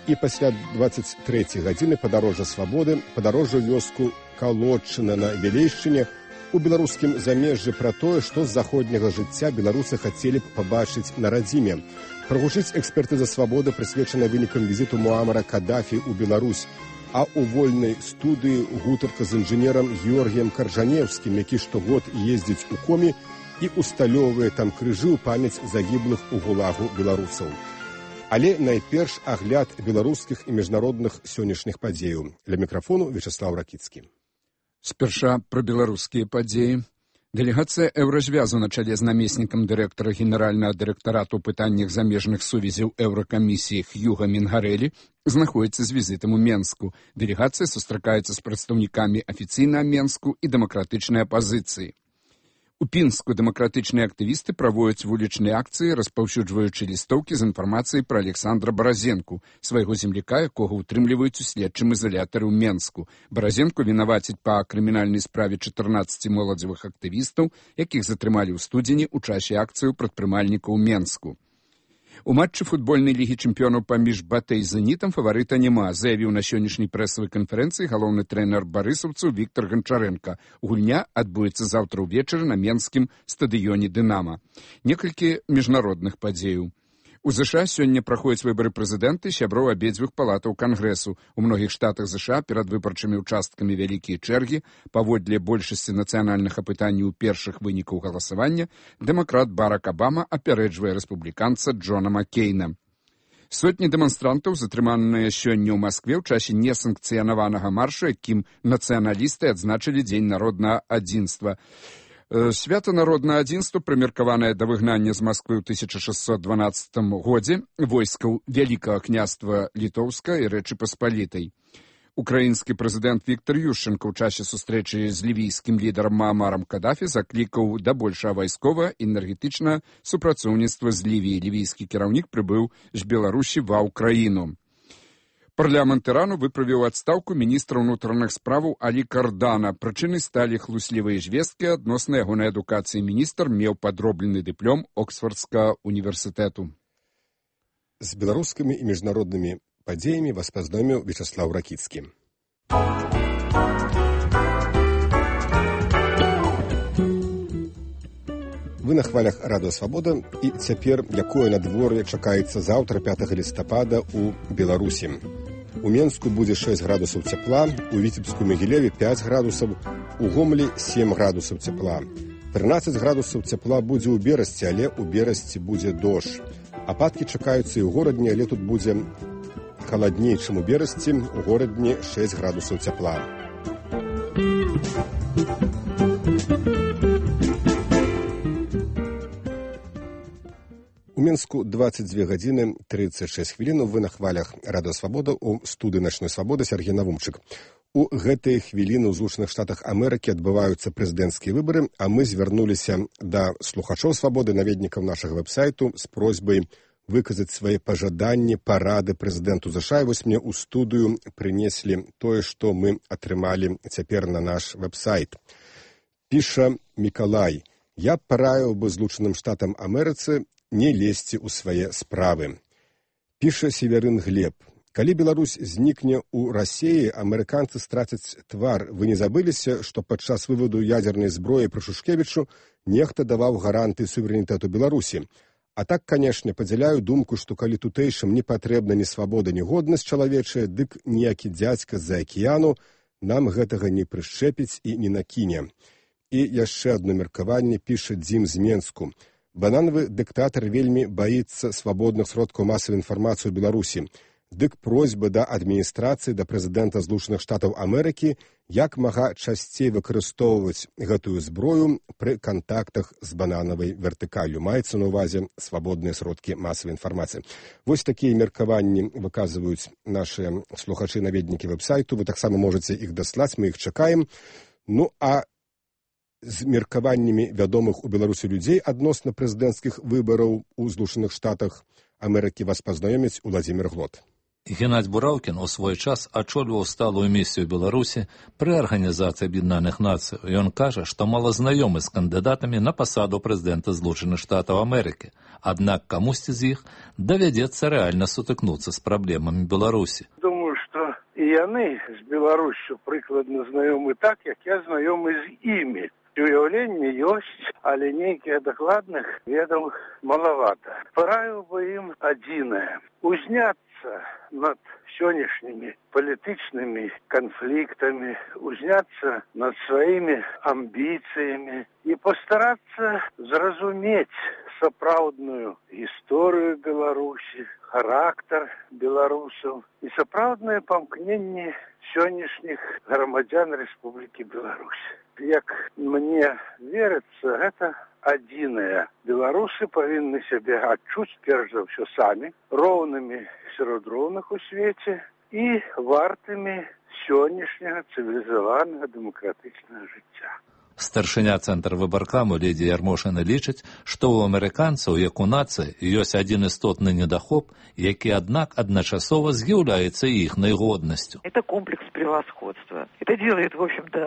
І пасля 23 гадзіны падарожжа свабоды, падарожжа вёску Калодчына на Вілейшчыне, у беларускім замежжы пра тое, што з заходняга жыцця беларусы хацелі б пабачыць на радзіме. Прагучыць экспертыза свабоды, прысвечана вынікам візіту Муамара Кадафі ў Беларусь, а ў вольнай студыі гутарка з інжынерам Георгіем Каржанеўскім, які штогод ездзіць у Комі і усталёўвае там крыжы ў памяць загіблых у гулагу беларусаў. Але найперш агляд беларускіх і міжнародных сённяшніх падзеяў. Ля мікрафону Вячеслав Ракіцкі.
Спярша пра беларускія падзеі. Дэлегацыя Еўразвязу на чале з намеснікам дырэктара генеральнага дырэктарату ў пытаннях замежных сувязяў Еўракамісіі Хьюга Мінгарэлі знаходзіцца з візітам у Менску. Дэлегацыя сустракаецца з прадстаўнікамі афіцыйнага Менску і дэмакратычнай апазіцыі. У Пінску дэмакратычныя актывісты праводзяць вулічныя акцыі, распаўсюджваючы лістоўкі з інфармацыяй пра Александра Баразенку, свайго земляка, якога ўтрымліваюць у следчым ізалятары ў Менску. Баразенку вінавацяць па крымінальнай справе 14 моладзевых актывістаў, якіх затрымалі ў студзені ў часе акцыі прадпрымальнікаў у Менску. У матчы футбольнай лігі чэмпіёнаў паміж БАТЭ і «Зенітам» фаварыта няма, заявіў на сённяшняй прэсавай канферэнцыі галоўны трэнер барысаўцаў Віктор Ганчарэнка. Гульня адбудзецца заўтра ўвечары на менскім стадыёне «Дынама». Некалькі міжнародных падзеяў. У ЗША сёння праходзяць выбары прэзідэнта і сяброў абедзвюх палатаў Кангрэсу. У многіх штатах ЗША перад выбарчымі ўчасткамі вялікія чэргі. Паводле большасці нацыянальных апытанняў першых вынікаў галасавання дэмакрат Барак Абама апярэджвае рэспубліканца Джона Маккейна. Сотні дэманстрантаў затрыманыя сёння ў Маскве ў часе несанкцыянаванага маршу, якім нацыяналісты адзначылі Дзень народнага адзінства. Свята народнага адзінства, прымеркаванае да выгнання з Масквы ў 1612 годзе войскаў Вялікага княства Літоўска і Рэчы Паспалітай. Украінскі прэзідэнт Віктор Ющенка ў часе сустрэчы з лівійскім лідарам Маамарам Кадафі заклікаў да большага вайсковага і энергетычнага супрацоўніцтва з Лівіяй. Лівійскі кіраўнік прыбыў з Беларусі ва ўкраіну. Парламент Ірану выправіў адстаўку міністра ўнутраных справаў Алі Кардана. Прычынай сталі хлуслівыя звесткі адносна ягонай адукацыі. Міністр меў падроблены дыплом Оксфордскага універсітэту.
З беларускімі і міжнароднымі падзеямі вас пазнаёміў Вячаслаў Ракіцкі. Вы на хвалях Радыё Свабода, і цяпер якое надвор'е чакаецца заўтра 5 лістапада ў Беларусі. У Менску будзе 6 градусаў цяпла, у Віцебску Магілеве 5 градусаў, у Гомлі 7 градусаў цяпла. 13 градусаў цяпла будзе ў Берасці, але ў Берасці будзе дождж. Ападкі чакаюцца і ў горадні, але тут будзе халадней, чым у Берасці, у горадні 6 градусаў цяпла. У Мінску 22 гадзіны 36 хвілін. Вы на хвалях Радыё Свабода, у студыі «Начной свабоды» Сергей Навумчык. У гэтыя хвіліны ў Злучаных Штатах Амерыкі адбываюцца прэзідэнцкія выбары, а мы звярнуліся да слухачоў Свабоды, наведнікаў нашага вэб-сайту з просьбай выказаць свае пажаданні, парады прэзідэнту ЗША. І вось мне ў студыю прынеслі тое, што мы атрымалі цяпер на наш вэб-сайт. Піша Мікалай: «Я параіў бы Злучаным Штатам Амерыцы не лезці ў свае справы». Піша Северын Глеб: «Калі Беларусь знікне ў Расіі, амерыканцы страцяць твар. Вы не забыліся, што падчас выводу ядзернай зброі пры Шушкевічу нехта даваў гарантыі суверэнітэту Беларусі. А так, канешне, падзяляю думку, што калі тутэйшым не патрэбна ні свабода, ні годнасць чалавечая, дык ніякі дзядзька з-за акіяну нам гэтага не прышчэпіць і не накіне». І яшчэ адно меркаванне піша Дзім з Менску: «Бананавы дыктатар вельмі баіцца свабодных сродкаў масавай інфармацыі ў Беларусі. Дык просьба да адміністрацыі, да прэзідэнта Злучаных Штатаў Амерыкі як мага часцей выкарыстоўваць гэтую зброю пры кантактах з бананавай вертыкаллю». Маецца на ўвазе свабодныя сродкі масавай інфармацыі. Вось такія меркаванні выказваюць нашыя слухачы-наведнікі вэб-сайту. Вы таксама можаце іх даслаць, мы іх чакаем. Ну, а з меркаваннямі вядомых у Беларусі людзей адносна прэзідэнцкіх выбараў у Злучаных Штатах Амерыкі вас пазнаёміць Уладзімір Глот.
Геннадзь Бураўкін у свой час ачольваў сталую місію Беларусі пры Арганізацыі Аб'яднаных Нацый. Ён кажа, што мала знаёмы з кандыдатамі на пасаду прэзідэнта Злучаных Штатаў Амерыкі. Аднак камусьці з іх давядзецца рэальна сутыкнуцца з праблемамі Беларусі.
Думаю, што і яны з Беларуссю прыкладна знаёмы так, як я знаёмы з імі. Уяўленне ёсць, але нейкіх дакладных ведаў малавата. Параіў бы ім адзінае: узняцца над сённяшнімі палітычнымі канфліктамі, узняцца над сваімі амбіцыямі і пастарацца зразумець сапраўдную гісторыю Беларусі, характар беларусаў і сапраўднае памкненне сённяшніх грамадзян Рэспублікі Беларусь. Як мне верыцца, гэта адзінае. Беларусы павінны сябе адчуць перш за ўсё самі, роўнымі сярод роўных у свеце і вартымі сённяшняга цывілізаванага дэмакратычнага жыцця.
Старшыня цэнтра выбаркаму Лідія Ярмошына лічыць, што ў амерыканцаў, як у нацыі, ёсць адзін істотны недахоп, які, аднак, адначасова з'яўляецца іхнай годнасцю.
Это комплекс превосходства. Это делает, в общем-то...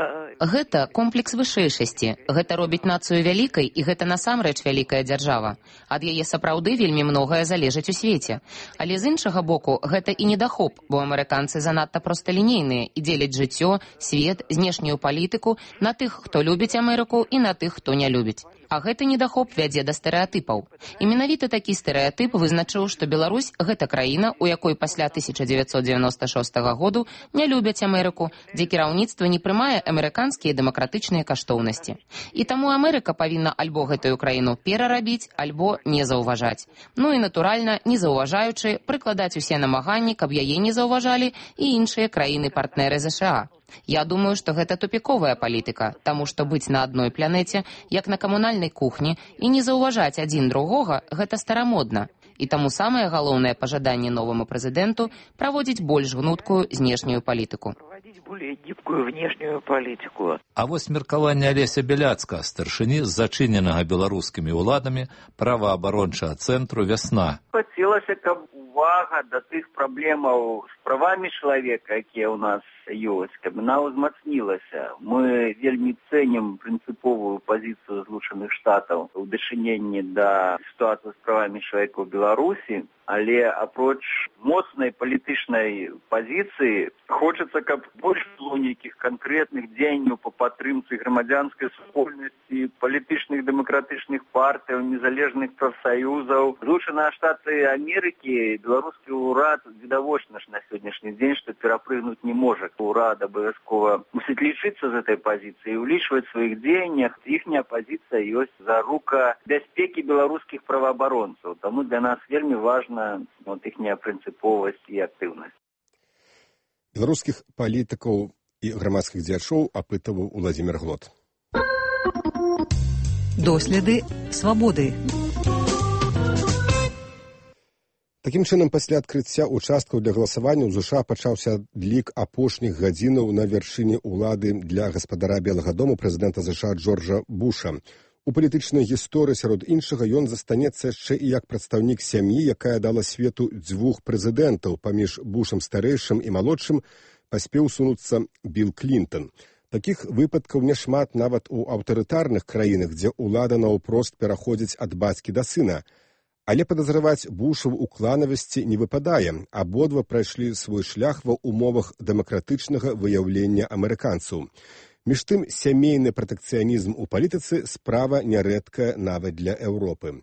Гэта комплекс вышэйшасці. Гэта робіць нацыю вялікай, і гэта насамрэч вялікая дзяржава. Ад яе сапраўды вельмі многае залежыць у свеце. Але з іншага боку, гэта і недахоп, бо амерыканцы занадта просталінейныя і дзеляць жыццё, свет, знешнюю палітыку на тых, хто любіць Амерыку, і на тых, хто не любіць. А гэты недахоп вядзе да стэрэатыпаў. І менавіта такі стэрэатып вызначыў, што Беларусь – гэта краіна, у якой пасля 1996 году не любяць Амерыку, дзе кіраўніцтва не прымае амерыканскія дэмакратычныя каштоўнасці. І таму Амерыка павінна альбо гэтую краіну перарабіць, альбо не заўважаць. Ну і, натуральна, не заўважаючы, прыкладаць усе намаганні, каб яе не заўважалі і іншыя краіны-партнеры ЗША. Я думаю, што гэта тупіковая палітыка, таму што быць на адной планеце, як на камунальнай кухні, і не заўважаць адзін другога, гэта старамодна. І таму самае галоўнае пажаданне новаму прэзідэнту праводзіць больш гнуткую знешнюю палітыку.
Более гибкую внешнюю политику.
А вось меркаванне Алеся Беляцка, старшыні з зачыненага беларускімі ўладамі праваабарончага цэнтру «Вясна».
Хацелася, каб увага да тых праблемаў з правамі чалавека, якія ў нас ёсць, каб яна ўзмацнілася. Мы вельмі цэнім прынцыповую пазіцыю Злучаных Штатаў у дачыненні да сітуацыі з правамі чалавека ў Беларусі, але апроч моцнай палітычнай пазіцыі хочацца, каб больш было нейкіх канкрэтных дзеянняў па падтрымцы грамадзянскай супольнасці, палітычных дэмакратычных партый, незалежных прафсаюзаў. Злучаныя Штаты Амерыкі, беларускі ўрад відавочна ж на сённяшні дзень, што перапрыгнуць не можа. Урад абавязкова мусіць лічыцца з гэтай пазіцыі, улічваць сваіх дзеяннях. Іхняя пазіцыя ёсць зарука бяспекі беларускіх праваабаронцаў. Таму для нас вельмі важна іхняя прынцыповасць і актыўнасць.
Беларускіх палітыкаў і грамадскіх дзеячоў апытаваў Уладзімір Глот.
Доследы свабоды.
Такім чынам, пасля адкрыцця участкаў для галасавання ў ЗША пачаўся адлік апошніх гадзінаў на вяршыні ўлады для гаспадара Белага дому прэзідэнта ЗША Джорджа Буша. У палітычнай гісторыі, сярод іншага, ён застанецца яшчэ і як прадстаўнік сям'і, якая дала свету дзвюх прэзідэнтаў. Паміж Бушам старэйшым і малодшым паспеў сунуцца Білл Клінтон. Такіх выпадкаў няшмат нават у аўтарытарных краінах, дзе ўлада наўпрост пераходзіць ад бацькі да сына. Але падазраваць Буша ў кланавасці не выпадае. Абодва прайшлі свой шлях ва ўмовах дэмакратычнага выяўлення амерыканцаў. Між тым, сямейны пратэкцыянізм у палітыцы справа нярэдкая нават для Еўропы.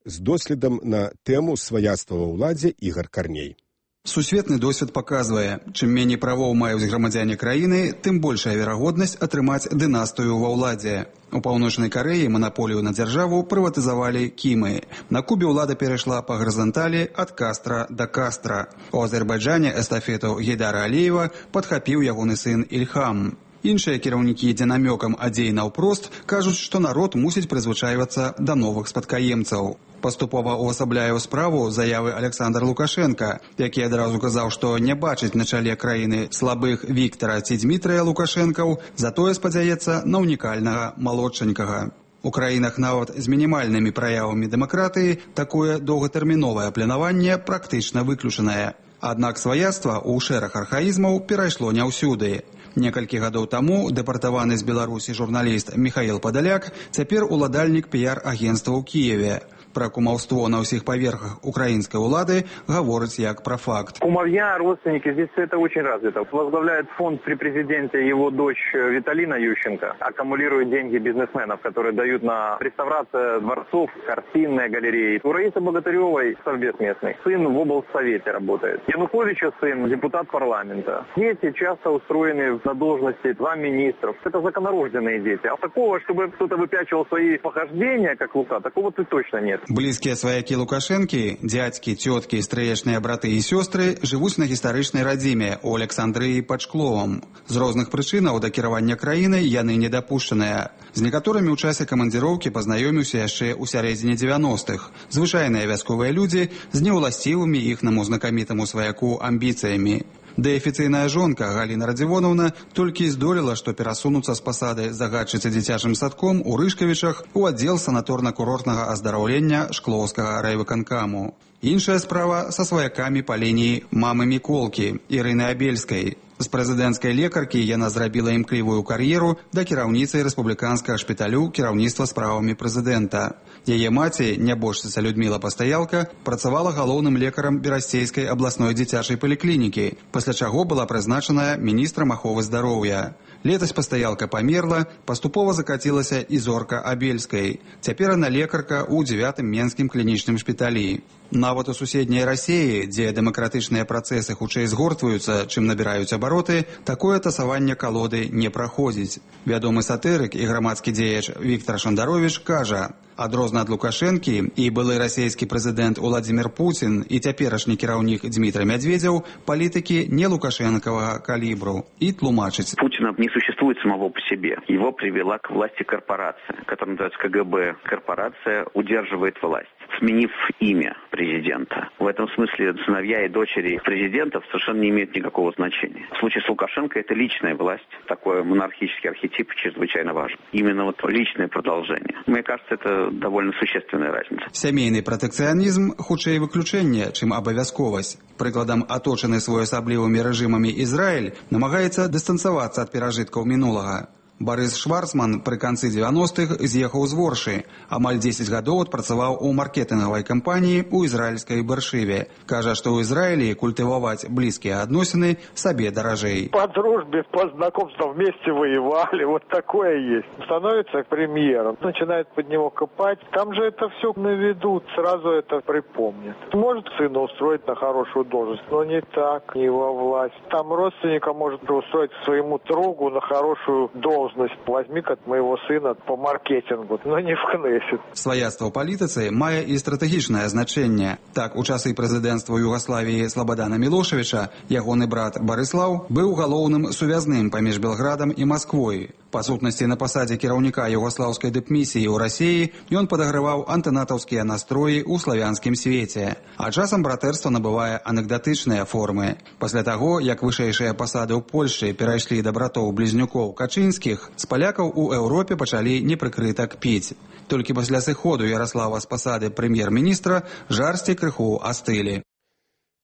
З доследам на тэму сваяцтва ва ўладзе Ігар Карней.
Сусветны досвед паказвае, чым меней правоў маюць грамадзяне краіны, тым большая верагоднасць атрымаць дынастыю ва ўладзе. У Паўночнай Карэі манаполію на дзяржаву прыватызавалі кімы. На Кубе ўлада перайшла па гарызанталі ад Кастра да Кастра. У Азербайджане эстафету Гейдара Аліева падхапіў ягоны сын Ільхам. Іншыя кіраўнікі, дзе намёкам адзей наўпрост, кажуць, што народ мусіць прызвычайвацца да новых спадкаемцаў. Паступова ўвасабляе ў справу заявы Александр Лукашенка, які адразу казаў, што не бачыць на чале краіны слабых Віктара ці Дзмітрыя Лукашэнкаў, затое спадзяецца на унікальнага малодшанькага. У краінах нават з мінімальнымі праявамі дэмакратыі такое доўгатэрміновае планаванне практычна выключанае. Аднак сваяцтва ў шэраг архаізмаў перайшло не ўсюды. Некалькі гадоў таму дэпартаваны з Беларусі журналіст Михаил Падаляк цяпер уладальнік піар-агенства ў Кіеве. Пра кумаўство на ўсіх паверхах украінскай улады гаворыць як пра факт.
Кумовья, родственники, здесь это очень развито. Возглавляет фонд при президенте его дочь Виталина Ющенко. Аккумулирует деньги бизнесменов, которые дают на реставрацию дворцов, картинные галереи. У Раисы Богатыревой совбез местный. Сын в облсовете работает. Януковича сын депутат парламента. Дети часто устроены на должности 2 министров. Это законорожденные дети. А такого, чтобы кто-то выпячивал свои похождения, как Лука, такого точно нет.
Блізкія сваякі Лукашэнкі, дзядзькі, цёткі, стрэечныя браты і сёстры жывуць на гістарычнай радзіме ў Александрыі пад Шкловам. З розных прычынаў да кіравання краінай яны не дапушчаныя. З некаторымі ў часе камандзіроўкі пазнаёміўся яшчэ ў сярэдзіне 90-х. Звычайныя вясковыя людзі з неўласцівымі іхнаму знакамітаму сваяку амбіцыямі. Дэафіцыйная жонка Галіна Радзівонаўна толькі здолела, што перасунуцца з пасады загадчыцы дзіцячым садком у Рышкавічах у аддзел санаторна-курортнага аздараўлення Шклоўскага райвыканкаму. Іншая справа са сваякамі па лініі мамы Міколкі Ірыны Абельскай. З прэзідэнцкай лекаркі яна зрабіла імклівую кар'еру да кіраўніцы рэспубліканскага шпіталю кіраўніцтва справамі прэзідэнта. Яе маці, нябожчыца Людміла Пастаялка, працавала галоўным лекарам Берасцейскай абласной дзіцячай паліклінікі, пасля чаго была прызначаная міністрам аховы здароўя. Летась Пастаялка памерла, паступова закацілася і зорка Абельскай. Цяпер яна лекарка ў 9-м менскім клінічным шпіталі. Нават у суседняй Расіі, дзе дэмакратычныя працэсы хутчэй згортваюцца, чым набіраюць абароты, такое тасаванне калоды не праходзіць. Вядомы сатырык і грамадскі дзеяч Віктор Шандаровіч кажа: адрозна ад Лукашэнкі і былы расійскі прэзідэнт Уладзімір Пуцін і цяперашні кіраўнік Дмітрий Медведзеў палітыкі не лукашэнкавага калібру. І тлумачыць.
Путина не существует самого по себе. Его привела к власти корпорация, которая называется КГБ. Корпорация удерживает власть, сменив имя президента. В этом смысле сыновья и дочери президентов совершенно не имеют никакого значения. В случае с Лукашенко это личная власть, такой монархический архетип чрезвычайно важен. Именно вот личное продолжение. Мне кажется, это довольно существенная разница.
Сямейны пратэкцыянізм хутчэй выключэнне, чым абавязковасць. Прыкладам, аточаны своеасаблівымі рэжымамі Ізраіль намагаецца дыстанцавацца ад перажыткаў мінулага. Барыс Шварцман пры канцы 90-х з'ехаў з Воршы. Амаль 10 гадоў адпрацаваў у маркетынгавай кампаніі ў ізраільскай Бэршыве. Кажа, што ў Ізраілі культываваць блізкія адносіны сабе даражэй.
По дружбе, по знакомству вместе воевали, вот такое есть. Становится премьером, начинает под него копать. Там же это все наведут, сразу это припомнят. Может сына устроить на хорошую должность, но не так, не во власть. Там родственника может устроить своему другу на хорошую должность. Возьми от моего сына по маркетингу, но не в Кнессет.
Сваяцтва ў палітыцы мае і стратэгічнае значэнне. Так, у часы прэзідэнцтва Югаславіі Слабадана Мілошавіча ягоны брат Барыслаў быў галоўным сувязным паміж Белградам і Масквой. Па сутнасці, на пасадзе кіраўніка югаслаўскай дыпмісіі ў Расіі ён падаграваў антынатаўскія настроі ў славянскім свеце. А часам братэрства набывае анекдатычныя формы. Пасля таго, як вышэйшыя пасады ў Польшчы перайшлі да братоў-блізнюкоў Качынскіх, з палякаў у Еўропе пачалі непрыкрыта кпіць. Толькі пасля сыходу Яраслава з пасады прэм'ер-міністра жарсці крыху астылі.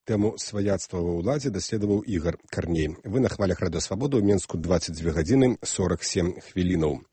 Тэму сваяцтва ва ўладзе даследаваў Ігар Карней. Вы на хвалях Радыё Свабода ў Менску 22 гадзіны 47 хвілінаў.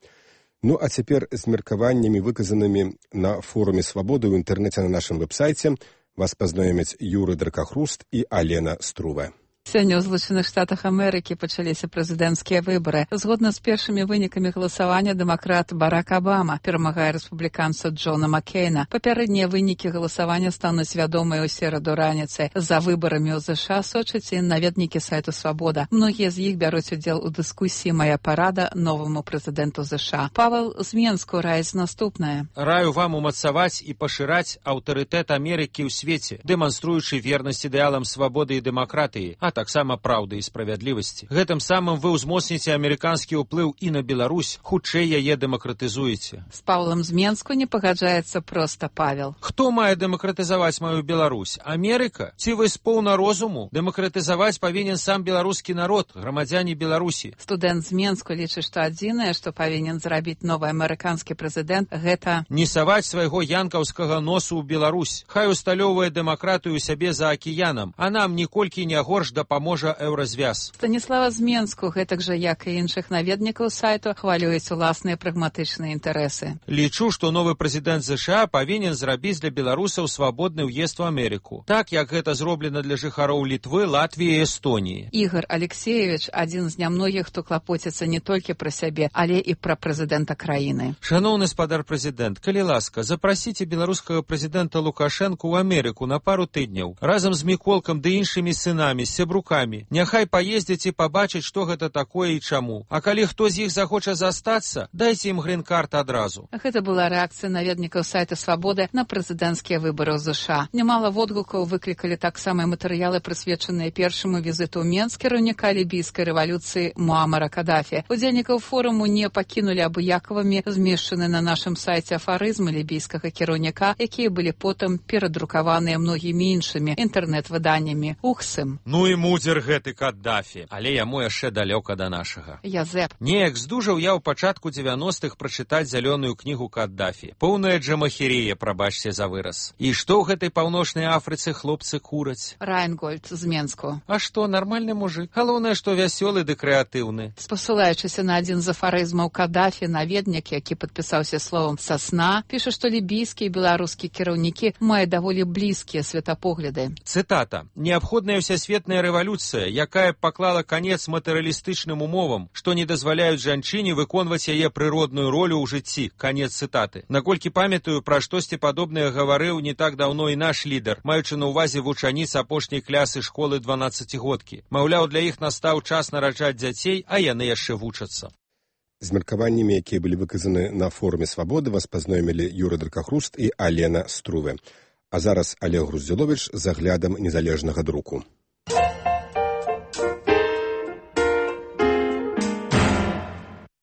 Ну а цяпер з меркаваннямі, выказанымі на форуме Свабоды ў інтэрнэце на нашым вэб-сайце, вас пазнаёмяць Юры Дракахруст і Алена Струва.
Сёння ў Злучаных Штатах Амерыкі пачаліся прэзідэнцкія выбары. Згодна з першымі вынікамі галасавання дэмакрат Барак Абама перамагае рэспубліканца Джона Маккейна. Папярэднія вынікі галасавання стануць вядомыя ў сераду раніцы. За выбарамі ў ЗША сочаць і наведнікі сайту Свабода. Многія з іх бяруць удзел у дыскусіі «Мая парада» новаму прэзідэнту ЗША. Павел з Менску раіць наступнае.
Раю вам умацаваць і пашыраць аўтарытэт Амерыкі ў свеце, дэманструючы вернасць ідэалам свабоды і дэмакратыі, а таксама праўды і справядлівасці. Гэтым самым вы ўзмоцніце амерыканскі ўплыў і на Беларусь, хутчэй яе дэмакратызуеце.
З Павлам з Менску не пагаджаецца проста Павел.
Хто мае дэмакратызаваць маю Беларусь? Амерыка? Ці вы з поўна розуму? Дэмакратызаваць павінен сам беларускі народ, грамадзяне Беларусі.
Студэнт з Менску лічыць, што адзінае, што павінен зрабіць новы амерыканскі прэзідэнт, гэта
не саваць свайго янкаўскага носу ў Беларусь. Хай усталёўвае дэмакратыю сябе за акіянам, а нам ніколькі не горш дапаможа еўразвяз.
Станіслава з Менску, гэтак жа, як і іншых наведнікаў сайту, хвалююць уласныя прагматычныя інтарэсы.
Лічу, што новы прэзідэнт ЗША павінен зрабіць для беларусаў свабодны ўезд у Амерыку. Так, як гэта зроблена для жыхароў Літвы, Латвіі і Эстоніі.
Ігор Алексеевич адзін з нямногіх, хто клапоціцца не толькі пра сябе, але і пра прэзідэнта краіны.
Шаноўны спадар прэзідэнт, калі ласка, запрасіце беларускага прэзідэнта Лукашэнку ў Амерыку на пару тыдняў, разам з Міколкам ды іншымі сынамі, сябрукамі. Няхай паездзяць і пабачыць, што гэта такое і чаму. А калі хто з іх захоча застацца, дайце ім грін-карт адразу.
Гэта была рэакцыя наведнікаў сайта Свабоды на прэзідэнцкія выбары ў ЗША. Нямала водгукаў выклікалі таксама матэрыялы, прысвечаныя першаму візіту ў Менск кіраўніка лібійскай рэвалюцыі Муамара Кадафі. Удзельнікаў форуму не пакінулі абыякавымі змешчаны на нашым сайце афарызмы лібійскага кіраўніка, якія былі потым перадрукаваныя многімі іншымі інтэрнэт-выданнямі. Ухсым.
Ну і мудзер гэты Каддафі, але яму яшчэ далёка да нашага.
Язэп.
Неяк здужаў я ў пачатку 90-х прачытаць зялёную кнігу Каддафі. Поўная джамахерія, прабачце за выраз. І што ў гэтай паўночнай Афрыцы хлопцы кураць?
Райнгольд з Менску.
А што, нармальны мужик? Галоўнае, што вясёлы ды крэатыўны.
Спасылаючыся на адзін з афарызмаў Каддафі, наведнік, які падпісаўся словам «сасна», піша, што лібійскія і беларускія кіраўнікі маюць даволі блізкія светапогляды.
Цытата. «Неабходная всесветная рэвалюцыя, якая паклала канец матэрыялістычным умовам, што не дазваляюць жанчыне выконваць яе прыродную ролю ў жыцці». Канец цытаты. Наколькі памятаю, пра штосьці падобнае гаварыў не так даўно і наш лідар, маючы на ўвазе вучаніц апошняй клясы школы 12-годкі. Маўляў, для іх настаў час нараджаць дзяцей, а яны яшчэ вучацца.
З меркаваннямі, якія былі выказаны на форуме «Свабоды», вас пазнаёмілі Юры Дракахруст і Алена Струве. А зараз Олег Груздзіловіч з аглядам незалежнага друку.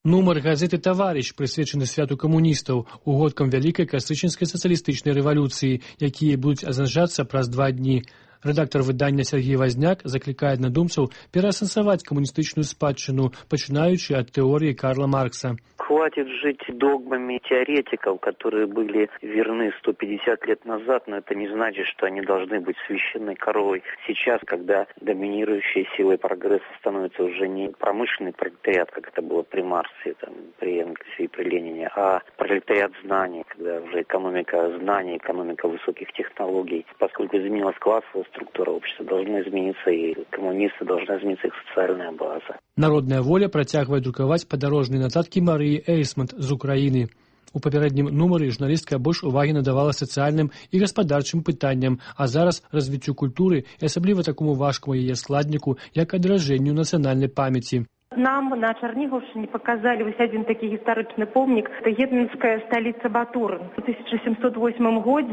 Нумар газеты «Таварыш» прысвечаны святу камуністаў, угодкам вялікай кастрычніцкай сацыялістычнай рэвалюцыі, якія будуць адзначацца праз 2 дні. Рэдактар выдання Сергей Вазняк заклікае аднадумцаў пераасэнсаваць камуністычную спадчыну, пачынаючы ад тэорыі Карла Маркса.
Хватит жить догмами теоретиков, которые были верны 150 лет назад, но это не значит, что они должны быть священной коровой. Сейчас, когда доминирующей силой прогресса становится уже не промышленный пролетариат, как это было при Марксе, при Энгельсе и при Ленине, а пролетариат знаний, когда уже экономика знаний, экономика высоких технологий. Поскольку изменилась классовая структура общества, должна измениться и коммунисты, должна измениться их социальная база.
Народная воля працягвае друкаваць падарожныя нататкі Марыі Эйсмонт з Украіны. У папярэднім нумары журналістка больш увагі надавала сацыяльным і гаспадарчым пытанням, а зараз развіццю культуры і асабліва такому важкаму яе складніку, як адражэнню нацыянальнай памяці.
Нам на Черниговщине показали вот один такой исторический помник. Это гетманская столица Батурин. В 1708 году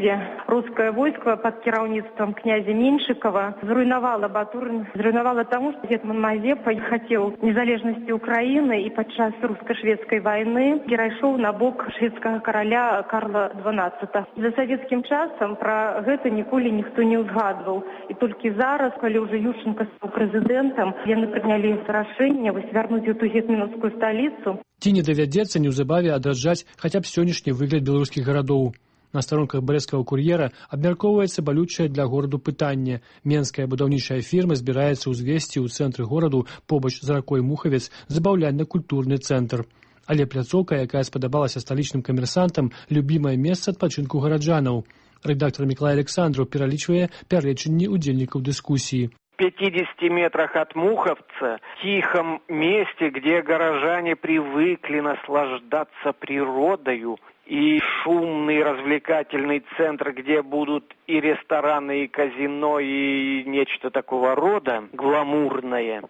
русское войско под керівництвом князя Меньшикова зруйновало Батурин. Зруйновало тому, что гетман Мазепа хотел незалежности Украины и подчас русско-шведской войны перешел на бок шведского короля Карла XII. За советским часом про это николи никто не узгадывал. И только зараз, когда уже Ющенко стал президентом, они приняли решение вярнуць эту гетманскую столицу.
Ці не давядзецца неўзабаве адраджаць хаця б сённяшні выгляд беларускіх гарадоў. На старонках брэсцкага кур'ера абмяркоўваецца балючае для гораду пытанне. Менская будаўнічая фірма збіраецца ўзвесці ў цэнтры гораду побач з ракой Мухавец забаўляльна-культурны цэнтр. Але пляцоўка, якая спадабалася сталічным камерсантам, любімае месца адпачынку гараджанаў. Рэдактар Мікалай Александраў пералічвае пярэчанні удзельнікаў дыскусіі.
50 метрах от Муховца, в тихом месте, где горожане привыкли наслаждаться природою, и шумный развлекательный центр, где будут и рестораны, и казино, и нечто такого рода гламурное.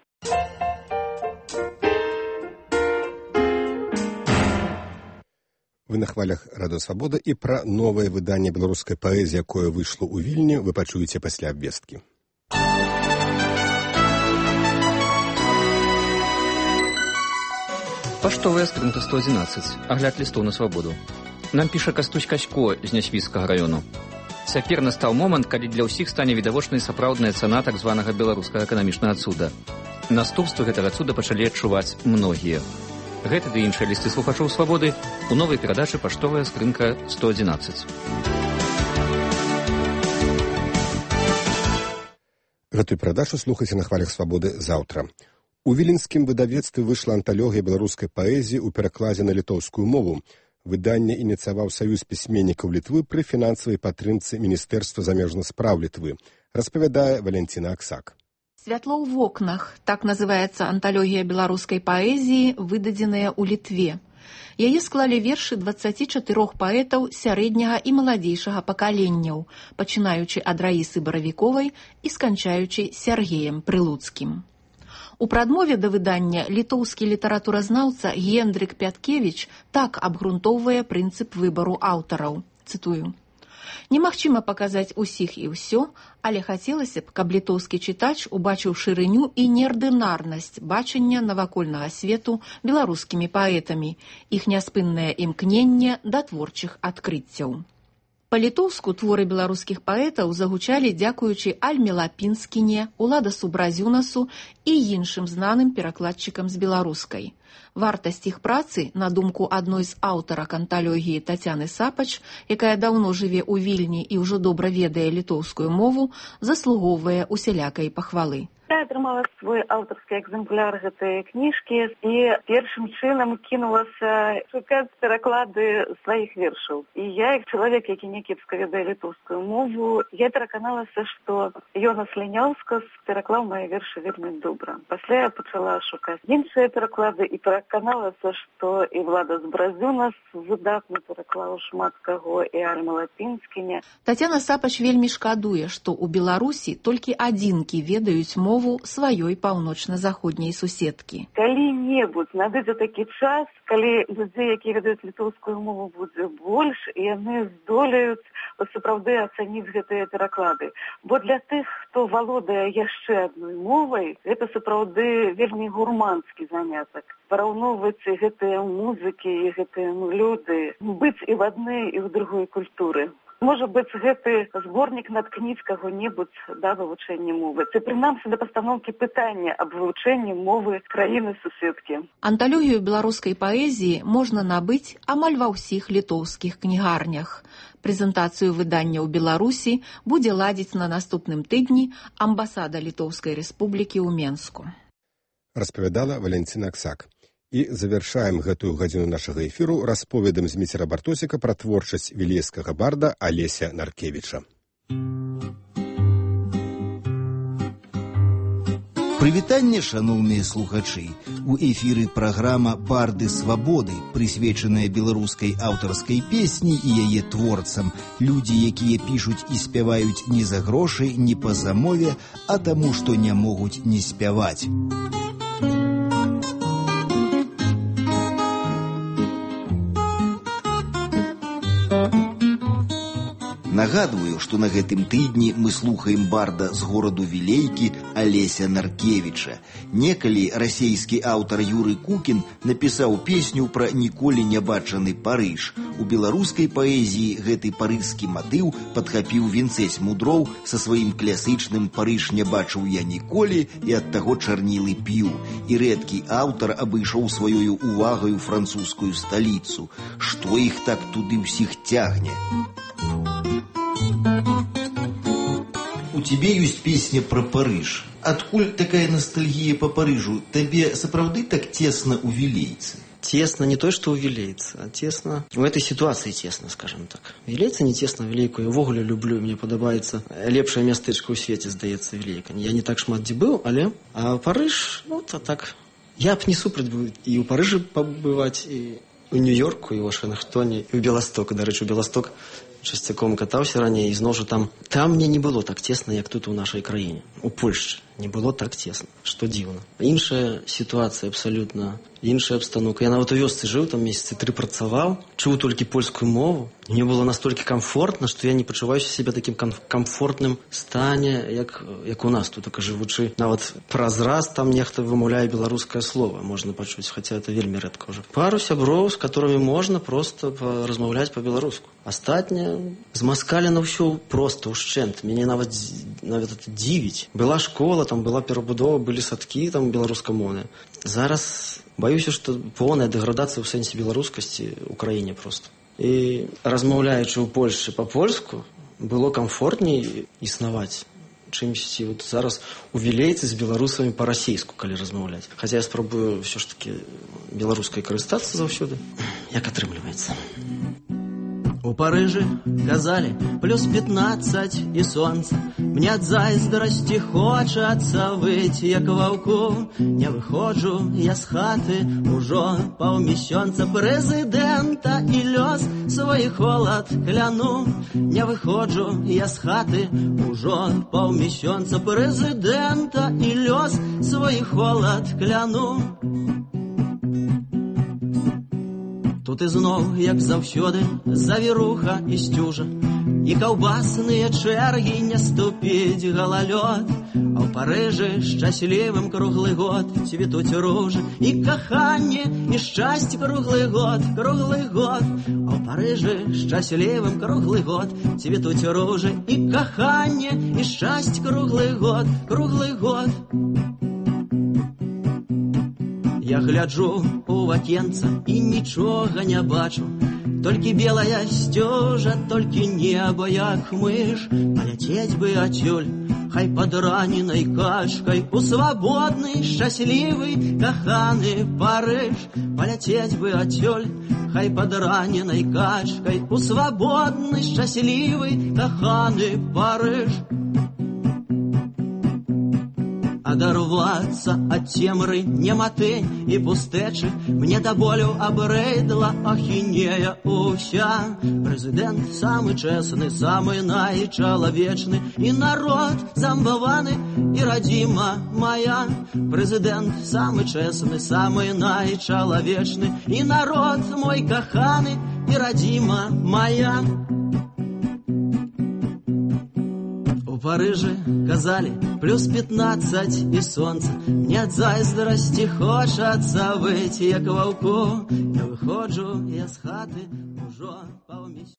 Вы на хвалях Радыё Свабода, і пра новае выданне беларускай паэзіі, якое выйшло ў Вільні, вы пачуеце пасля абвесткі.
Паштовая скрынка 111. Агляд лістоў на свабоду. Нам піша Кастусь Касько з Нясвіцкага раёну. Цяпер настаў момант, калі для ўсіх стане відавочнай сапраўдная цана так званага беларускага эканамічнага цуда. Наступствы гэтага цуда пачалі адчуваць многія. Гэты ды іншыя лісты слухачоў свабоды у новай перадачы «Паштовая скрынка 111».
Гэтую перадачу слухайце на хвалях свабоды заўтра. У віленскім выдавецтве выйшла анталогія беларускай паэзіі ў перакладзе на літоўскую мову. Выданне ініцыяваў Саюз пісьменнікаў Літвы пры фінансавай падтрымцы Міністэрства замежных спраў Літвы, распавядае Валентина Аксак.
«Святло ў вокнах» – так называецца анталогія беларускай паэзіі, выдадзеная ў Літве. Яе склалі вершы 24 паэтаў сярэдняга і маладзейшага пакаленняў, пачынаючы ад Раісы Баравіковай і сканчаючы Сергеем Прылуцкім. У прадмове да выдання літоўскі літаратуразнаўца Гендрык Пяткевіч так абгрунтоўвае прынцып выбару аўтараў. Цытую. «Немагчыма паказаць усіх і ўсё, але хацелася б, каб літоўскі чытач убачыў шырыню і неардынарнасць бачання навакольнага свету беларускімі паэтамі, іх няспыннае імкненне да творчых адкрыццяў». Па-літоўску творы беларускіх паэтаў загучалі дзякуючы Альме Лапінскіне, Уладасу Бразюнасу і іншым знаным перакладчыкам з беларускай. Вартасць іх працы, на думку адной з аўтарак анталогіі Тацяны Сапач, якая даўно жыве ў Вільні і ўжо добра ведае літоўскую мову, заслугоўвае усялякай пахвалы.
Я атрымала свой аўтарскі экземпляр гэтай кніжкі і першым чынам кінулася шукаць пераклады сваіх вершаў. І я, як чалавек, які някепска ведае літоўскую мову, я пераканалася, што Йонас Ліняўскас пераклаў мае вершы вельмі добра. Пасля я пачала шукаць іншыя пераклады і пераканалася, што і Владас Бразюнас выдатна пераклаў шмат каго, і Альма Лапінскіне.
Тацяна Сапач вельмі шкадуе, што ў Беларусі толькі адзінкі ведаюць мову сваёй паўночна-заходняй суседкі.
Калі-небудзь надыдзе такі час, калі людзей, якія ведаюць літоўскую мову, будзе больш, і яны здолеюць сапраўды ацаніць гэтыя пераклады. Бо для тых, хто валодае яшчэ адной мовай, гэта сапраўды вельмі гурманскі занятак. Параўноўваць гэтыя музыкі і гэтыя мелодыі, быць і в адной, і в другой культуры. Можа быць, гэты зборнік наткніць каго-небудзь да вывучэння мовы. Ці прынамсі да пастаноўкі пытання аб вывучэнні мовы краіны-суседкі.
Анталогію беларускай паэзіі можна набыць амаль ва ўсіх літоўскіх кнігарнях. Прэзентацыю выдання ў Беларусі будзе ладзіць на наступным тыдні амбасада Літоўскай Рэспублікі ў Менску.
Распавядала Валянціна Аксак. І завяршаем гэтую гадзіну нашага эфіру расповедам Зміцера Бартосіка пра творчасць вілейскага барда Алеся Наркевіча.
Прывітанне, шаноўныя слухачы! У эфіры праграма «Барды свабоды», прысвечаная беларускай аўтарскай песні і яе творцам. Людзі, якія пішуць і спяваюць не за грошы, не па замове, а таму, што не могуць не спяваць. Нагадваю, што на гэтым тыдні мы слухаем барда з гораду Вілейкі Алеся Наркевіча. Некалі расейскі аўтар Юры Кукін напісаў песню пра ніколі не бачаны Парыж. У беларускай паэзіі гэты парыжскі матыў падхапіў Вінцэць Мудроў са сваім класычным «Парыж не бачыў я ніколі» і ад таго чарнілы п'ю. І рэдкі аўтар абышоў сваёю увагаю французскую сталіцу. Што іх так туды ўсіх цягне? У тебе ёсць песня пра Парыж. Адкуль такая ностальгія по Парыжу? Табе сапраўды так цесна ў Вілейцы?
Тесно не то, что у Вілейцы, а тесно... В этой ситуации тесно, скажем так. Вілейца не тесно, Вілейку я ввогуле люблю, мне падабаецца. Лепшае мястэчка ў свеце, здаецца, Вілейка. Я не так шмат дзе быў, але... А Парыж, ну, то так... Я б не супраць быў і ў Парыжы пабываць, і ў Нью-Йорку, і ў Вашынгтоне, і ў Беласток. Дарэчы, у Беласток часцяком катаўся раней, і зноў жа там мне не было так цесна, як тут у нашай краіне. У Польшчы не было так цесна, што дзіўна. Іншая сітуацыя абсалютна, іншая абстаноўка. Я нават у вёсцы жыў, там месяцы 3 працаваў, чуў толькі польскую мову. Мне было настолькі комфортна, што я не пачуваюся сябе такім комфортным стане, як у нас тут, так жывучы. Нават праз раз там нехта вымаўляе беларускае слово, можна пачуць, хаця это вельмі рэдка ўжо. Пару сяброў, з которыми можна просто размаўляць па-беларуску. Астатняе змаскалена ўсё проста ўшчэнт. Мяне нават это дзівіць. Была школа, там была перабудова, былі садкі там беларускамоўныя. Зараз баюся, што поўная дэградацыя ў сэнсе беларускасці ў краіне проста. І размаўляючы ў Польшчы па-польску, было камфортней існаваць, чымсьці вот зараз у Вілейцы з беларусамі па-расейску, калі размаўляць. Хаця я спрабую ўсё ж такі беларускай карыстацца заўсёды. Як атрымліваецца? У Парыжы казалі плюс 15 і сонца. Мне ад зайздрасці хочацца выць, як ваўку. Не выходжу я з хаты ужо паўмісяца. Прэзідэнта і лёс свой холад кляну. Не выходжу я з хаты ужо паўмісяца. Прэзідэнта і лёс свой холад кляну. Тут ізноў, як заўсёды, завіруха і сцюжа.
і каўбасныя чэргі не ступіць галалёд. А ў Парыжы шчаслівым круглы год цвітуць ружы і каханне, і шчасце круглы год, круглы год. А ў Парыжы шчаслівым круглы год цвітуць ружы і каханне, і шчасце круглы год, круглы год. Я гляджу у вакенца і нічога не бачу, толькі белая сцёжа, толькі неба як мыш. Паляцець бы адсюль, хай пад раненай качкай, у свабодны, шчаслівы, каханы Парыж. Паляцець бы адсюль, хай пад раненай качкай, у свабодны, шчаслівы, каханы Парыж. Адарвацца ад цемры, нематы і пустэчы мне да болю абрэдла ахінея ўся. Прэзідэнт самы чэсны, самы найчалавечны, і народ замбаваны, і радзіма моя. Прэзідэнт самы чэсны, самы найчалавечны, і народ мой каханы, і радзіма моя. У Парыжы казалі плюс 15 і сонца, мне ад зайздрасці хочацца выйти як ваўку. Я выходжу, я з хаты ўжо